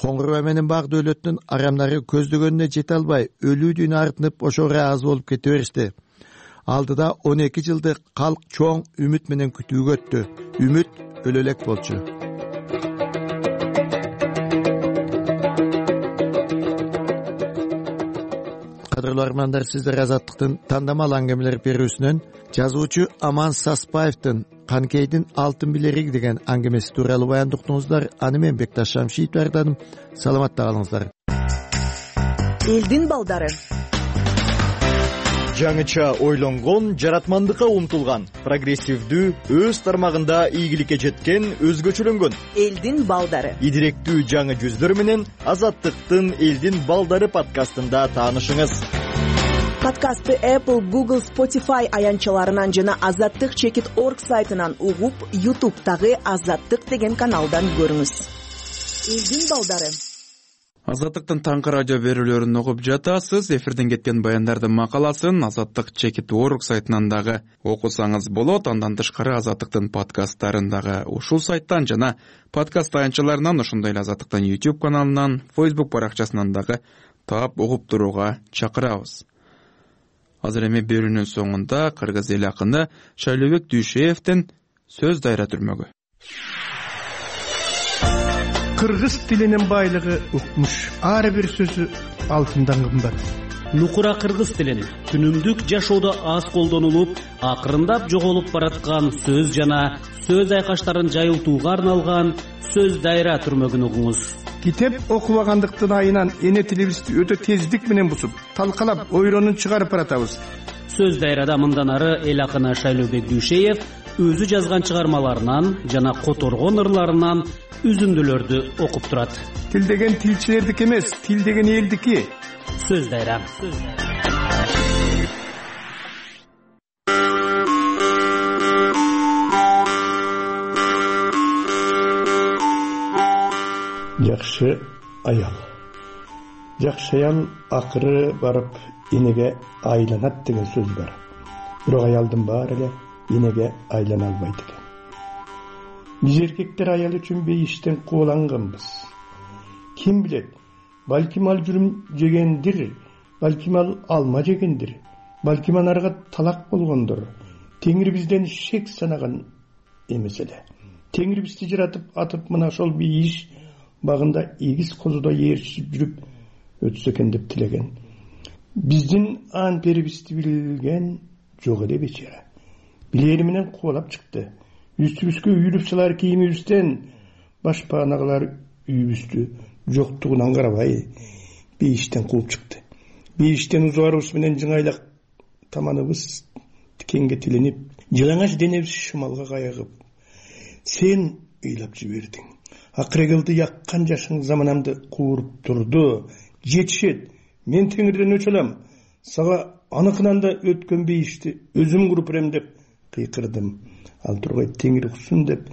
Коңгурбай менен Бак Дөөлөттүн арамдары көздөгөнүнө жете албай, өлүүдүн артынып ошо ыраазы болуп кете беришти. Алдыда он эки жылды калк чоң үмүт менен күтүүгө өттү. Үмүт өлө элек болчу. Кадырлуу армандар, сиздер Азаттыктын тандамал аңгемелер берүүсүнөн жазуучу Аман Саспаевдин Каныкейдин алтын билериг деген аңгемеси тууралуу баянды уктуңуздар. Аны мен Бекташ Шамшиев даярдадым. Саламатта калыңыздар. Элдин балдары. Жаңыча ойлонгон, жаратмандыкка умтулган, прогрессивдүү, өз тармагында ийгиликке жеткен, өзгөчөлөнгөн элдин балдары. Идиректүү жаңы жүздөр менен Азаттыктын Элдин балдары подкастында таанышыңыз. Подкастты Apple, Google, Spotify аянтчаларынан жана азаттык чекит точка орг сайтынан угуп, YouTube'дагы Азаттык деген каналдан көрүңүз. Элдин балдары. Азаттыктын таңкы радио берүүлөрүн угуп жатасыз. Эфирден кеткен баяндардын макаласын азаттык чекит точка орг сайтынан дагы окусаңыз болот. Андан тышкары Азаттыктын подкасттарын дагы ушул сайттан жана подкаст аянтчаларынан, ошондой эле Азаттыктын YouTube каналынан, Facebook баракчасынан дагы таап угуп турууга чакырабыз. Азыр эми берүүнүн соңунда кыргыз эл акыны Шайлообек Дүйшеевдин сөз дайра түрмөгү. Кыргыз тилинин байлыгы укмуш. Ар бир сөзү алтындан кымбат. Нукура кыргыз тилин күнүмдүк жашоодо аз колдонулуп, акырындап жоголуп бараткан сөз жана сөз айкаштарын жайылтууга арналган сөз дайра түрмөгүн угуңуз. Китеп окубагандыктын айынан эне тилибизди өтө тездик менен бусуп, талкалап, ойронун чыгарып баратабыз. Сөз дайрада мындан ары эл акыны Шайлообек Дүйшеев өзү жазган чыгармаларынан жана которгон ырларынан үзүндүлөрдү окуп турат. Тил деген тилчилердики эмес, тил деген элдики. Сөз дайра. Жакшы аял. Жакшы аял акыры барып энеге айланат деген сөз бар. Бирок аялдын баары эле энеге айлана албайт экен. Биз эркектер аял үчүн бейиштен кубаланганбыз. Ким билет, балким ал жүрүм жегендир, балким ал алма жегендир, балким анарга талак болгондур. Теңир бизден шек санаган эмес эле. Теңир бизди жаратып атып мына ошол бейиш багында эгиз козудо ээрчип жүрүп өтсө экен деп тилеген. Биздин ан перибизди билген жок эле бечара. Билери менен кубалап чыкты. Үстүбүзгө үйүлүп салар кийимибизден башпаанагылар үйүбүздү жоктугунан карабай бейиштен кууп чыкты. Бейиштен узуарыбыз менен жыңайлак таманыбыз тикенге тиленип, жылаңач денебиз шымалга кайыгып, сен ыйлап жибердиң. Акырегылды яккан жашың заманамды кууруп турду. Жетишет, мен теңирден өчө алам. Сага аныкынан да өткөн бейишти өзүм куруп берем деп кыйкырдым. Ал тургай теңир уксун деп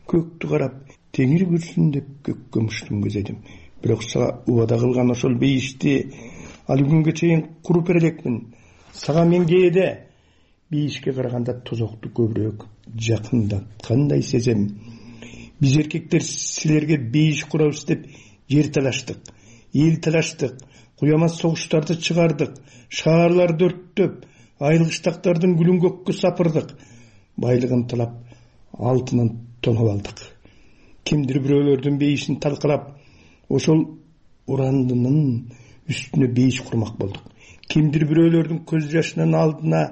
көктү карап, теңир көрсүн деп көккө муштум көзөйдүм. Бирок сага убада кылган ошол бейишти ал күнгө чейин куруп бере элекмин. Сага мен кээде бейишке караганда тозокту көбүрөөк жакындаткандай сезем. Биз эркектер силерге бейиш курабыз деп жер талаштык, эл талаштык, куямас согуштарды чыгардык, шаарларды өрттөп, айылгыштактардын гүлүн көккө сапырдык, байлыгын талап алтынын тонуп алдык. Кимдир бирөөлөрдүн бейишин талкалап, ошол урандынын үстүнө бейиш курмак болдук. Кимдир бирөөлөрдүн көз жашынын алдына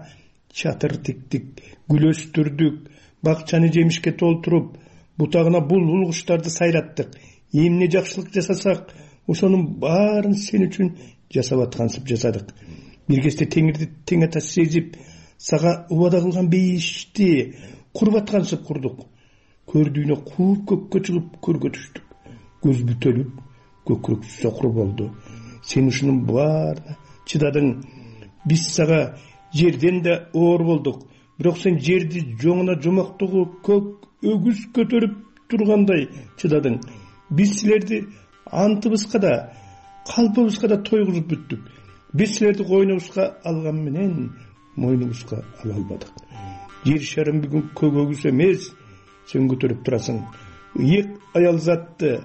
чатыр тиктик, гүл өстүрдүк, бакчаны жемишке толтуруп, бутагына булбул куштарды сайраттык. Эмне жакшылык жасасак, ошонун баарын сен үчүн жасап аткансып жасадык. Бир кезде теңирди тең ата сезип, сага убада кылган бейишти куруп аткансып курдук. Көрдүүнө кууп көккө чыгып көргө түштүк. Көз бүтөлүп, көкүрөк сокур болду. Сен ушунун баарына чыдадың. Биз сага жерден да оор болдук. Бирок сен жерди жоңуна жомоктогу көк өгүз көтөрүп тургандай чыдадың. Биз силерди антыбызга да, калпыбызга да тойгузуп бүттүк. Биз силерди койнубузга алган менен мойнубузга ала албадык. Жер шарым бүгүн көк өгүз эмес, сен көтөрүп турасың. Ыйык аял затты,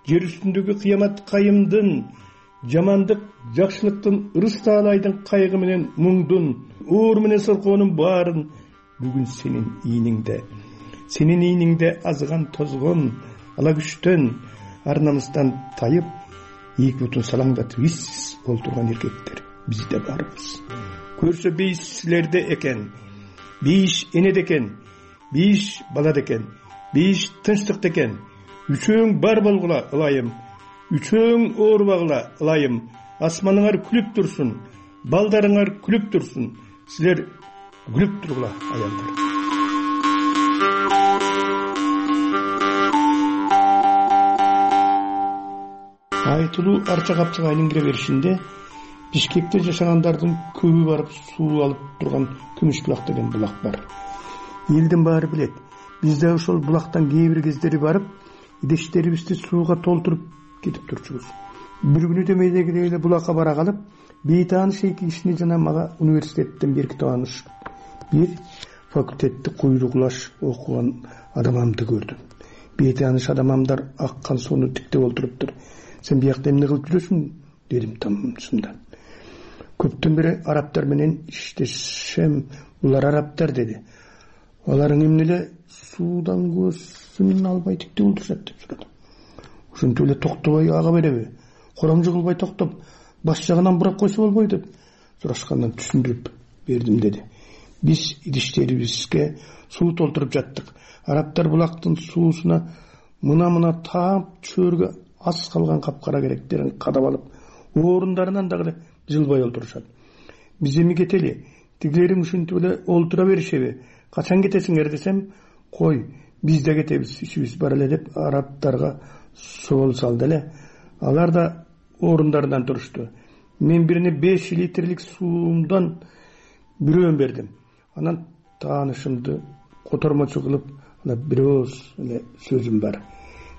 жер үстүндөгү кыямат кайымдын, жамандык жакшылыктын, ырыс таалайдын кайгы менен муңдун, оор менен соркоонун баарын бүгүн сенин ийниңде. Сенин ийниңде азган тозгон, ала күчтөн, ар намыстан тайып, эки бутун салаңдатып иссиз олтурган эркектер бизде барбыз. Көрсө бейиш силерде экен, бейиш энеде экен, бейиш балада экен, бейиш тынчтыкта экен. Үчөөң бар болгула ылайым, үчөөң оорубагыла ылайым. Асманыңар күлүп турсун, балдарыңар күлүп турсун. Силер күлүп тургула аялдар. Айтылуу арча капчыга айлангыра беришинде Бишкекте жашагандардын көбү барып суу алып турган Күмүш булак деген булак бар. Элдин баары билет. Биз да ошол булактан кээ бир кездери барып, идештерибизди сууга толтуруп кетип турчубуз. Бир күнү демейдегидей эле булакка бара калып, бейтааныш эки кишини жана мага университеттен берки тааныш бир факультетти куйругулаш окуган адамамды көрдүм. Бейтааныш адамамдар аккан сууну тиктеп олтуруптур. Сен биякта эмне кылып жүрөсүң? Дедим тамсында. Көптөн бери арабтар менен иштешем, булар арабтар деди. Аларың эмнеле суудан көзүн албай тиктеп олтурушат деп сурадым. Ошентип эле токтобой ага береби? Коромжу кылбай токтоп, баш жагынан бурап койсо болбойт деп сурашкандан түшүндүрүп бердим деди. Биз идиштерибизге суу толтуруп жаттык. Арабтар булактын суусуна мына-мына таап чөөргө аз калган капкара керектерин кадап алып, орундарынан дагы жылбай олтурушат. Биз эми кетели, тигилерим ушинтип эле олтура беришеби? Качан кетесиңер десем, кой, биз да кетебиз, ишибиз бар эле деп арабтарга соол салды эле. Алар да орундарынан турушту. Мен бирине беш литрлик суумдан бирөөн бердим. Анан таанышымды котормочу кылып, ана бирөөз эле сөзүм бар.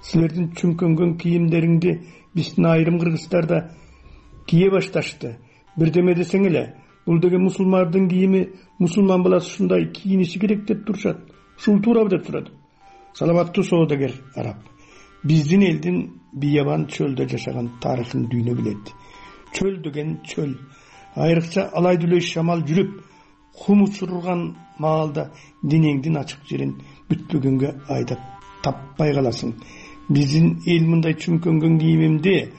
Силердин чүңкөнгөн кийимдериңди биздин айрым кыргыздарда кие башташты. Бирдеме десең эле, бул деген мусулмандын кийими, мусулман баласы ушундай кийиниши керек деп турушат. Ушул туурабы деп сурадым. Саламаттуу соодагер араб. Биздин элдин биябан чөлдө жашаган тарыхын дүйнө билет. Чөл деген чөл. Айрыкча алай дүлөй шамал жүрүп, кум учурган маалда денеңдин ачык жерин бүтпөгөнгө айдап таппай каласың. Биздин эл мындай чүңкөнгөн кийимимди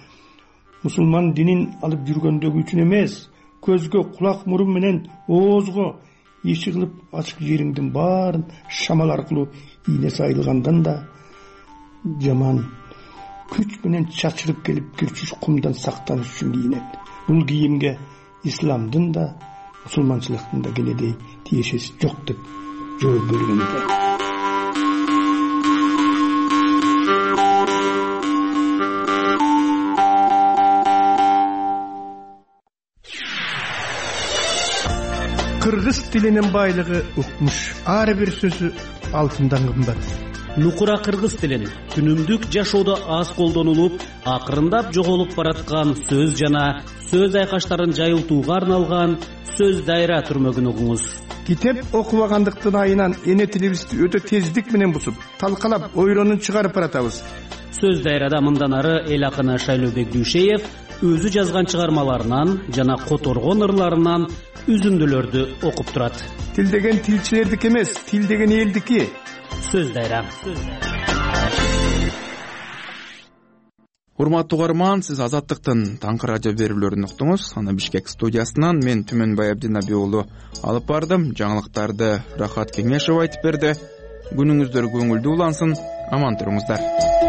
мусулман динин алып жүргөндөгү үчүн эмес, көзгө, кулак, мурун менен оозго иши кылып ачык жериңдин баарын шамал аркылуу ийне сайылгандан да жаман күч менен чачырып келип кирчүш кумдан сактаныш үчүн кийинет. Бул кийимге исламдын да, мусулманчылыктын да кенедей тиешеси жок деп жооп бергенде. Кыргыз тилинин байлыгы укмуш. Ар бир сөзү алтындан кымбат. Нукура кыргыз тилин күнүмдүк жашоодо аз колдонулуп, акырындап жоголуп бараткан сөз жана сөз айкаштарын жайылтууга арналган сөз дайра түрмөгүн угуңуз. Китеп окубагандыктын айынан эне тилибизди өтө тездик менен бусуп, талкалап, ойронун чыгарып баратабыз. Сөз дайрада мындан ары эл акыны Шайлообек Дүйшеев өзү жазган чыгармаларынан жана которгон ырларынан үзүндүлөрдү окуп турат. Тил деген тилчилердики эмес, тил деген элдики. Сөз дайра. Урматтуу угарман, сиз Азаттыктын таңкы радио берүүлөрүн уктуңуз. Аны Бишкек студиясынан мен Түмөнбай Абдинаби уулу алып бардым. Жаңылыктарды Рахат Кеңешев айтып берди. Күнүңүздөр көңүлдүү улансын, аман туруңуздар.